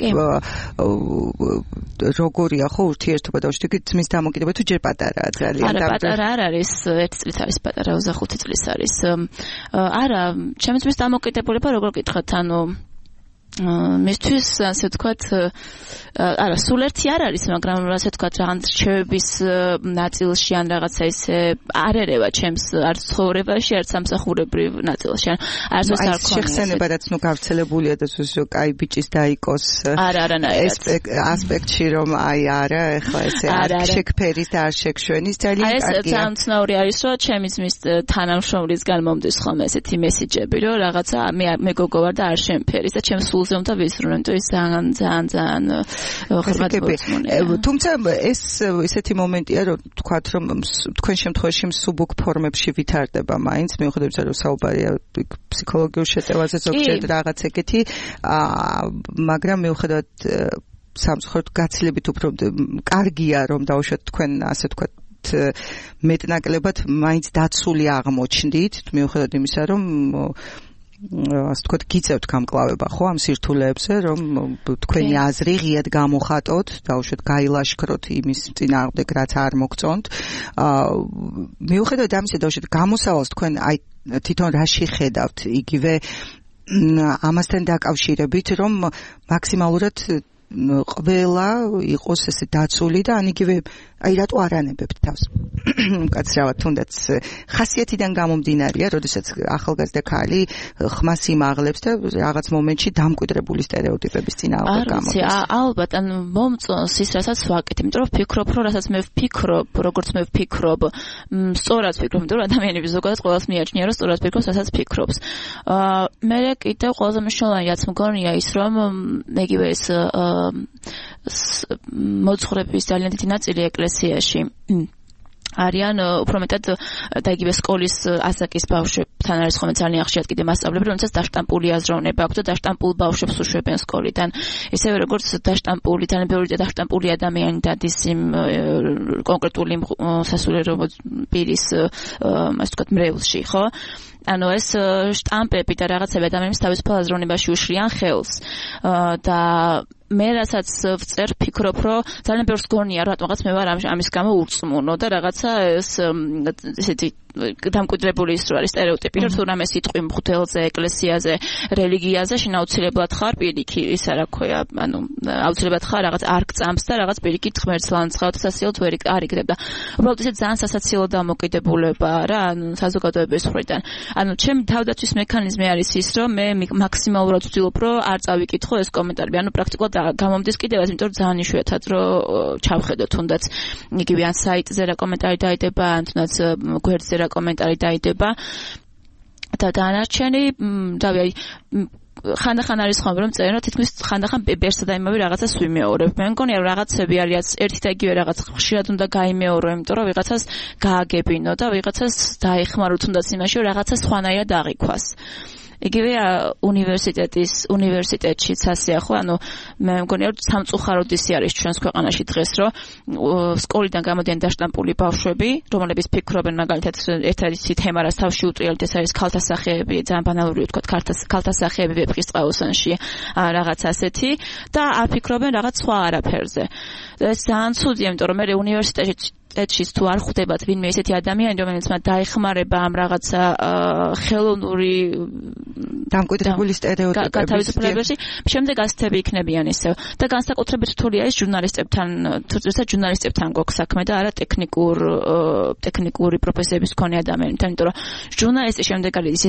როგორია ხო ურთიერთობა და უშტიკი ძმის დამოკიდება თუ ჯერ პატარაა ძალიან არა პატარა არ არის 1 წლით არის პატარა 25 წლის არის არა ჩემი ძმის დამოკიდებულება როგორ გითხათ ანუ მისთვის ასე ვთქვათ არა სულ ერთი არ არის მაგრამ ასე ვთქვათ რაღაც რჩევების ნაწილში ან რაღაცა ისე არ ერევა ჩემს არც ცხოვრებაში არც სამსახურებრივ ნაწილში ან არც ეს არ ქონია შეხსენება რაც ნუ გავრცელებულია და სულ კაი ბიჭის დაიკოს არა ასპექტში რომ აი არა ეხლა ესე არ შეგფერის და არ შეგშვენის ძალიან კარგია ეს ძალიან ცნაური არის რომ ჩემი ძმის თანამშრომლისგან მომდის ხოლმე ესეთი მესიჯები რომ რაღაცა მე გოგო ვარ და არ შემფერის და ჩემს სულზე უნდა ვისრულო ის ძალიან თუმცა ეს ესეთი მომენტია რომ თქვათ რომ თქვენ შემთხვევაში მსუბუქ ფორმებში ვითარდება მაინც მიუხედავად იმისა რომ საუბარია ფსიქოლოგიურ შეტევაზე ზოგჯერ რაღაც ეგეთი მაგრამ მიუხედავად სამწუხაროდ გაცილებით უფრო კარგია რომ დაუშვათ თქვენ ასე ვთქვათ მეტნაკლებად მაინც დაცული აღმოჩნდით მიუხედავად იმისა რომ ასე ვთქვათ გიწევთ გამკლავება ხო ამ სირთულეებზე რომ თქვენი აზრი ღიად გამოხატოთ დაუშვათ გაილაშქროთ იმის წინააღმდეგ რაც არ მოგწონთ მიუხედავად ამისა დაუშვათ გამოსავალს თქვენ აი თვითონ რაში ხედავთ იგივე ამასთან დაკავშირებით რომ მაქსიმალურად ყველა იყოს ესე დაცული და ან იგივე აი რატო არ ანებებთ თავს მკაცრავად თუნდაც ხასიათიდან გამომდინარეა, როდესაც ახალგაზრდა ქალი ხმას იმაღლებს და რაღაც მომენტში დამკვიდრებული სტერეოტიპების წინააღმდეგ გამოდის. ალბათ, ან მომწონს ის, რასაც ვაკეთებ, იმიტომ რომ ვფიქრობ, რომ რასაც მე ვფიქრობ, როგორც მე ვფიქრობ, სწორად ვფიქრობ, იმიტომ რომ ადამიანები ზოგადად ყველას მიაჩნია, რომ სწორად ფიქრობს, რასაც ფიქრობს. მე კიდევ ყველაზე მნიშვნელოვანი რაც მგონია ის, რომ იგივე ეს მოძღვრების ძალიან დიდი ნაწილი ეკლესიაში არიან უფრო მეტად და იგივე სკოლის ასაკის ბავშვებთან არის ხოლმე ძალიან ხშირად კიდე მასწავლებლები, რომელსაც დაშტამპული აზროვნება აქვს და დაშტამპულ ბავშვებს უშვებენ სკოლიდან. ისევე როგორც დაშტამპული, ძალიან ბევრი დაშტამპული ადამიანი დადის იმ კონკრეტული სასულიერო პირის ასე ვთქვათ მრევლში, ხო? ანუ ეს შტამპები და რაღაცები ადამიანებს თავისუფალ აზროვნებაში უშლიან ხელს და მე რასაც ვწერ ფიქრობ, რომ ძალიან ბევრს გონია, რომ რატომღაც მე ვარ ამის გამო ურწმუნო და რაღაცა ეს ესეთი დამკვიდრებული ის რო არის სტერეოტიპი, რომ თუ რამე სიტყვი მღვდელზე, ეკლესიაზე, რელიგიაზე შენ აუცილებლად ხარ პირიქი, ისა რა ქვია, ანუ აუცილებლად ხარ რაღაც არკწამს და რაღაც პირიქით ღმერთს ლანძღავ და სასიელთ ვერ არ იგდებ და უბრალოდ ესე ძალიან სასაცილო დამოკიდებულება რა, ანუ საზოგადოების მხრიდან. ანუ ჩემი თავდაცვის მექანიზმი არის ის, რომ მე მაქსიმალურად ვცდილობ, რომ არ წავიკითხო ეს კომენტარები, ანუ პრაქტიკულად გამომდის კიდევაც, იმიტომ რომ ძალიან იშვიათად რომ ჩავხედო თუნდაც იგივე ან საიტზე რა კომენტარი დაიდება, ან თუნდაც გვერდზე რა კომენტარი დაიდება და დანარჩენი დავი ხანდახან არის ხომ რომ წერენ რომ თითქმის ხანდახან ბერსა და იმავე რაღაცას ვიმეორებ. მე მგონია რომ რაღაცები არის ერთი და იგივე რაღაც ხშირად უნდა გაიმეორო, იმიტომ რომ ვიღაცას გააგებინო და ვიღაცას დაეხმარო თუნდაც იმაში რომ რაღაცა სხვანაირად აღიქვას. იგივე უნივერსიტეტშიც ასე ხო, ანუ მე მგონია რომ სამწუხაროდ ისე არის ჩვენს ქვეყანაში დღეს, რომ სკოლიდან გამოდიან დაშტამპული ბავშვები, რომლებიც ფიქრობენ მაგალითად ერთ-ერთი თემა, რაც თავში უტრიალთ, ეს არის ქალთა სახეები, ძალიან ბანალური ვთქვათ, ქალთა სახეები ვეფხისტყაოსანში, რაღაც ასეთი და არ ფიქრობენ რაღაც სხვა არაფერზე. ეს ძალიან ცუდია, იმიტომ რომ მე უნივერსიტეტში თუ არ ხვდებათ ვინმე ესეთი ადამიანი, რომელიც მათ დაეხმარება ამ რაღაცა ხელოვნური დამკვიდრებული სტერეოტიპების გათავისუფლებაში, შემდეგ ასეთები იქნებიან ისევ. და განსაკუთრებით რთულია ის ჟურნალისტებთან გვაქვს საქმე და არა ტექნიკური პროფესიების მქონე ადამიანებთან, იმიტომ რომ ჟურნალისტი შემდეგ არის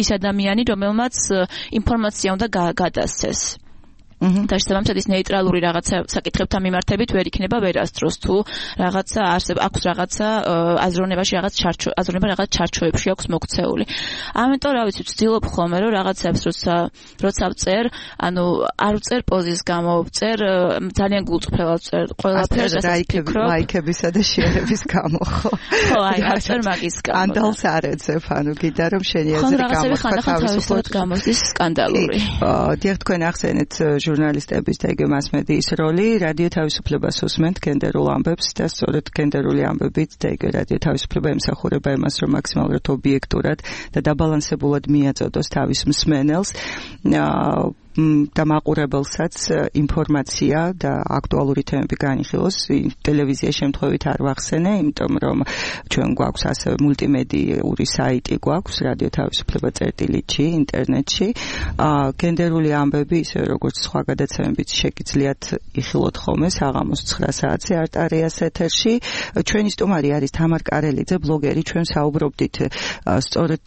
ის ადამიანი, რომელმაც ინფორმაცია უნდა გადასცეს. და შესაბამისად ის ნეიტრალური რაღაცა საკითხებთან მიმართებით ვერ იქნება ვერასდროს თუ რაღაცა აქვს რაღაცა აზროვნებაში რაღაც ჩარჩოებში აქვს მოქცეული. ამიტომ რა ვიცი, ვცდილობ ხოლმე რომ რაღაცებს როცა ვწერ, ანუ არ ვწერ პოზის გამო, ვწერ ძალიან გულწრფელად ვწერ ყველაფერს, რასაც ვფიქრობ, ლაიქებისა და შეერების გამო, ხო? ხო, აი, არ ვწერ მაგის გამო. სკანდალს არ ეძებ, ანუ გიდა რომ შენი აზრი გამოხდა თავისუფლად გამოდის სკანდალური. დიახ, თქვენ ახსენეთ ჟურნალისტების და იგივე მასმედიის როლი, რადიო თავისუფლებას უსმენთ გენდერულ ამბებს და სწორედ გენდერული ამბებით და იგივე რადიო თავისუფლება ემსახურება იმას, რომ მაქსიმალურად ობიექტურად და დაბალანსებულად მიაწოდოს თავის მსმენელს და მაყურებელსაც ინფორმაცია და აქტუალური თემები განიხილოს. ტელევიზია შემთხვევით არ ვახსენე, იმიტომ რომ ჩვენ გვაქვს ასევე მულტიმედიური საიტი გვაქვს რადიო თავისუფლება წერტილითში, ინტერნეტში. გენდერული ამბები, ისე როგორც სხვა გადაცემებიც შეგიძლიათ იხილოთ ხოლმე საღამოს 9 საათზე არტარიას ეთერში. ჩვენი სტუმარი არის თამარ კარელიძე, ბლოგერი. ჩვენ საუბრობდით სწორედ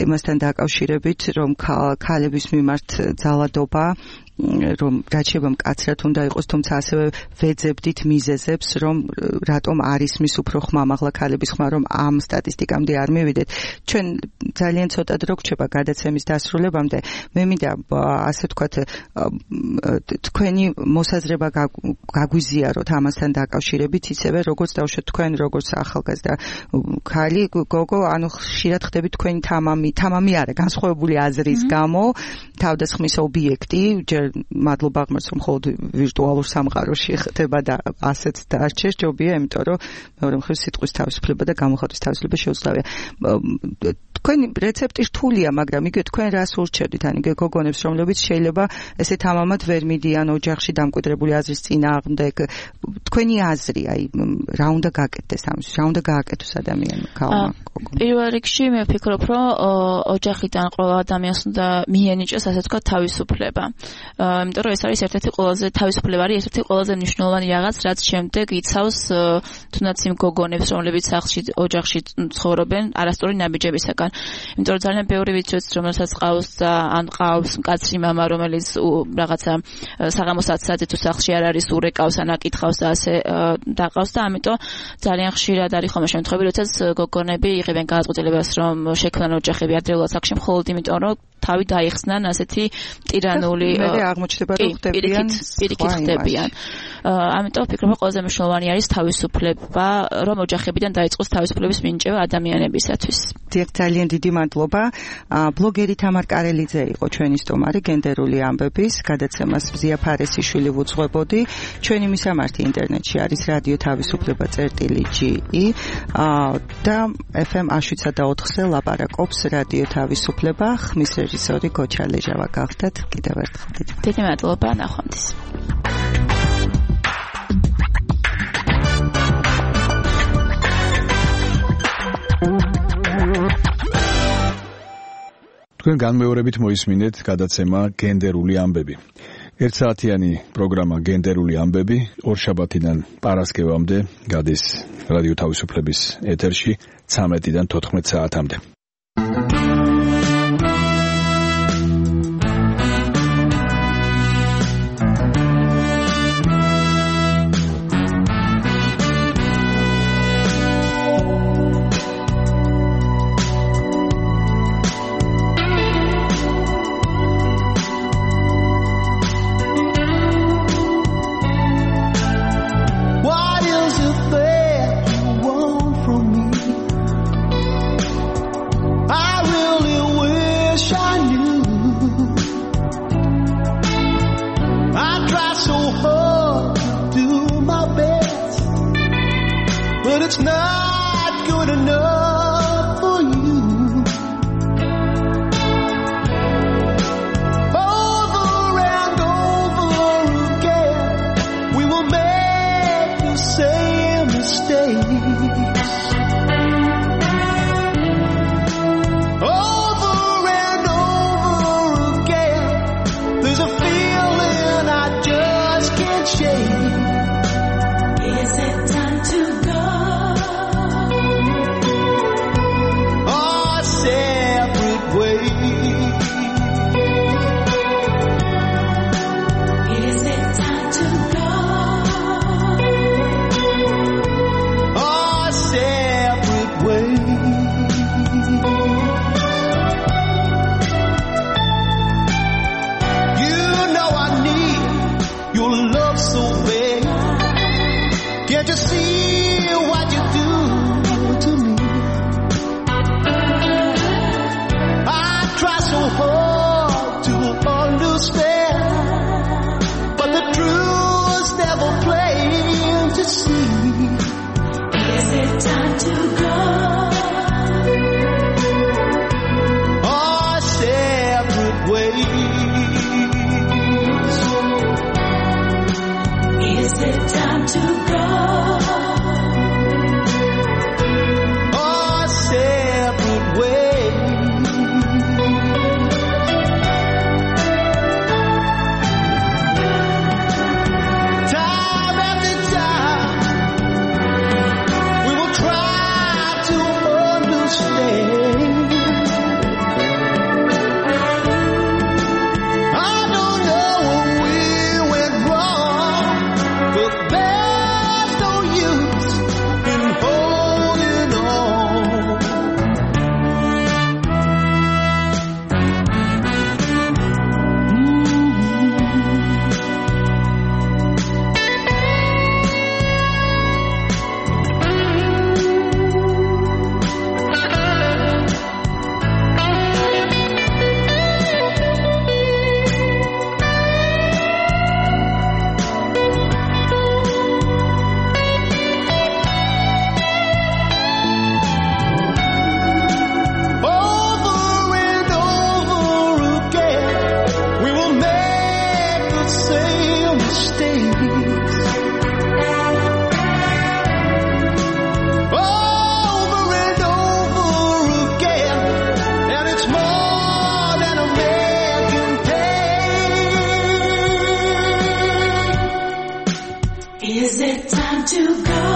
იმასთან დაკავშირებით, რომ ქალების მიმართ ძალადობა რომ რაც შეიძლება მკაცრად უნდა იყოს, თუმცა ასევე ვეძებდით მიზეზებს, რომ რატომ არ ისმის უფრო ხმამაღლა ქალების ხმა, რომ ამ სტატისტიკამდე არ მივიდეთ. ჩვენ ძალიან ცოტა დრო გრჩება გადაცემის დასრულებამდე. მე მინდა ასე ვთქვათ თქვენი მოსაზრება გაგვიზიაროთ ამასთან დაკავშირებით, ისევე როგორც დავუშვათ თქვენ, როგორც ახალგაზრდა ქალი, გოგო, ანუ ხშირად ხდებით თქვენი თამამი არა, განსხვავებული აზრის გამო თავდასხმის ობიექტი, მადლობა ღმერთს, რომ მხოლოდ ვირტუალურ სამყაროში ხდება და ასეც დარჩეს, ჯობია, იმიტომ რომ მეორე მხრივ სიტყვის თავისუფლება და გამოხატვის თავისუფლება შეუძლებელია. თქვენი რეცეპტი რთულია, მაგრამ იგივე თქვენ რას ურჩევდით, ან იგივე გოგონებს, რომლებიც შეიძლება ესე თამამად ვერ მიდიან ოჯახში დამკვიდრებული აზრის წინააღმდეგ. თქვენი აზრი, აი, რა უნდა გაკეთდეს ამის, რა უნდა გააკეთოს ადამიანმა, ქალმა, გოგონამ? პირველ რიგში მე ვფიქრობ, რომ ოჯახიდან ყველა ადამიანს უნდა მიენიჭოს, ასე ვთქვათ, თავისუფლება. იმიტომ რომ ეს არის ერთ-ერთი ყველაზე თავისუფლება არის ერთ-ერთი ყველაზე მნიშვნელოვანი რაღაც, რაც შემდეგ იცავს თუნდაც იმ გოგონებს, რომლებიც სახლში, ოჯახში ცხოვრობენ არასწორი ნაბიჯებისაგან. იმიტომ რომ ძალიან ბევრი ვიცით, რომელსაც ყავს და ან ყავს მკაცრი მამა, რომელიც რაღაცა საღამოს 10-ზე თუ სახლში არ არის, ურეკავს, ან აკითხავს და ასე დაყავს და ამიტომ ძალიან ხშირად არის ხოლმე შემთხვევები, როდესაც გოგონები იღებენ გადაწყვეტილებას, რომ შექმნან ოჯახები ადრეულად სახლში მხოლოდ იმიტომ, რომ თავი დაიხსნან ასეთი ტირანული მე აღმოჩნდება რომ ხდებიან პირიქით ხდებიან. ამიტომ ვფიქრობ, რომ ყველაზე მნიშვნელოვანი არის თავისუფლება, რომ ოჯახებიდან დაიწყოს თავისუფლების მინიჭება ადამიანებისათვის. დიახ, ძალიან დიდი მადლობა. ბლოგერი თამარ კარელიძე იყო ჩვენი სტუმარი გენდერული ამბების გადაცემას მზია ფარესიშვილი ვუძღვებოდი. ჩვენი მისამართი ინტერნეტში არის რადიო თავისუფლება.ge და FM 107.4-ზე ლაპარაკობს რადიო თავისუფლება. ხმის რეჟისორი გოჩა ლეჟავა გახდათ. კიდევ ერთხელ დიდი მადლობა, ნახვამდის. თქვენ განმეორებით მოისმინეთ გადაცემა გენდერული ამბები. ერთსაათიანი პროგრამა გენდერული ამბები ორშაბათიდან პარასკევამდე გადის რადიო თავისუფლების ეთერში 13-დან 14 საათამდე. It's not good enough for you. Over and over again, we will make the same mistakes. Over and over again, there's a feeling I just can't shake. Is it time to go? Can't you see what you do to me? I try so hard to understand, but the truth's never plain to see. Is it time to go? Our separate ways. Is it time to go? to go.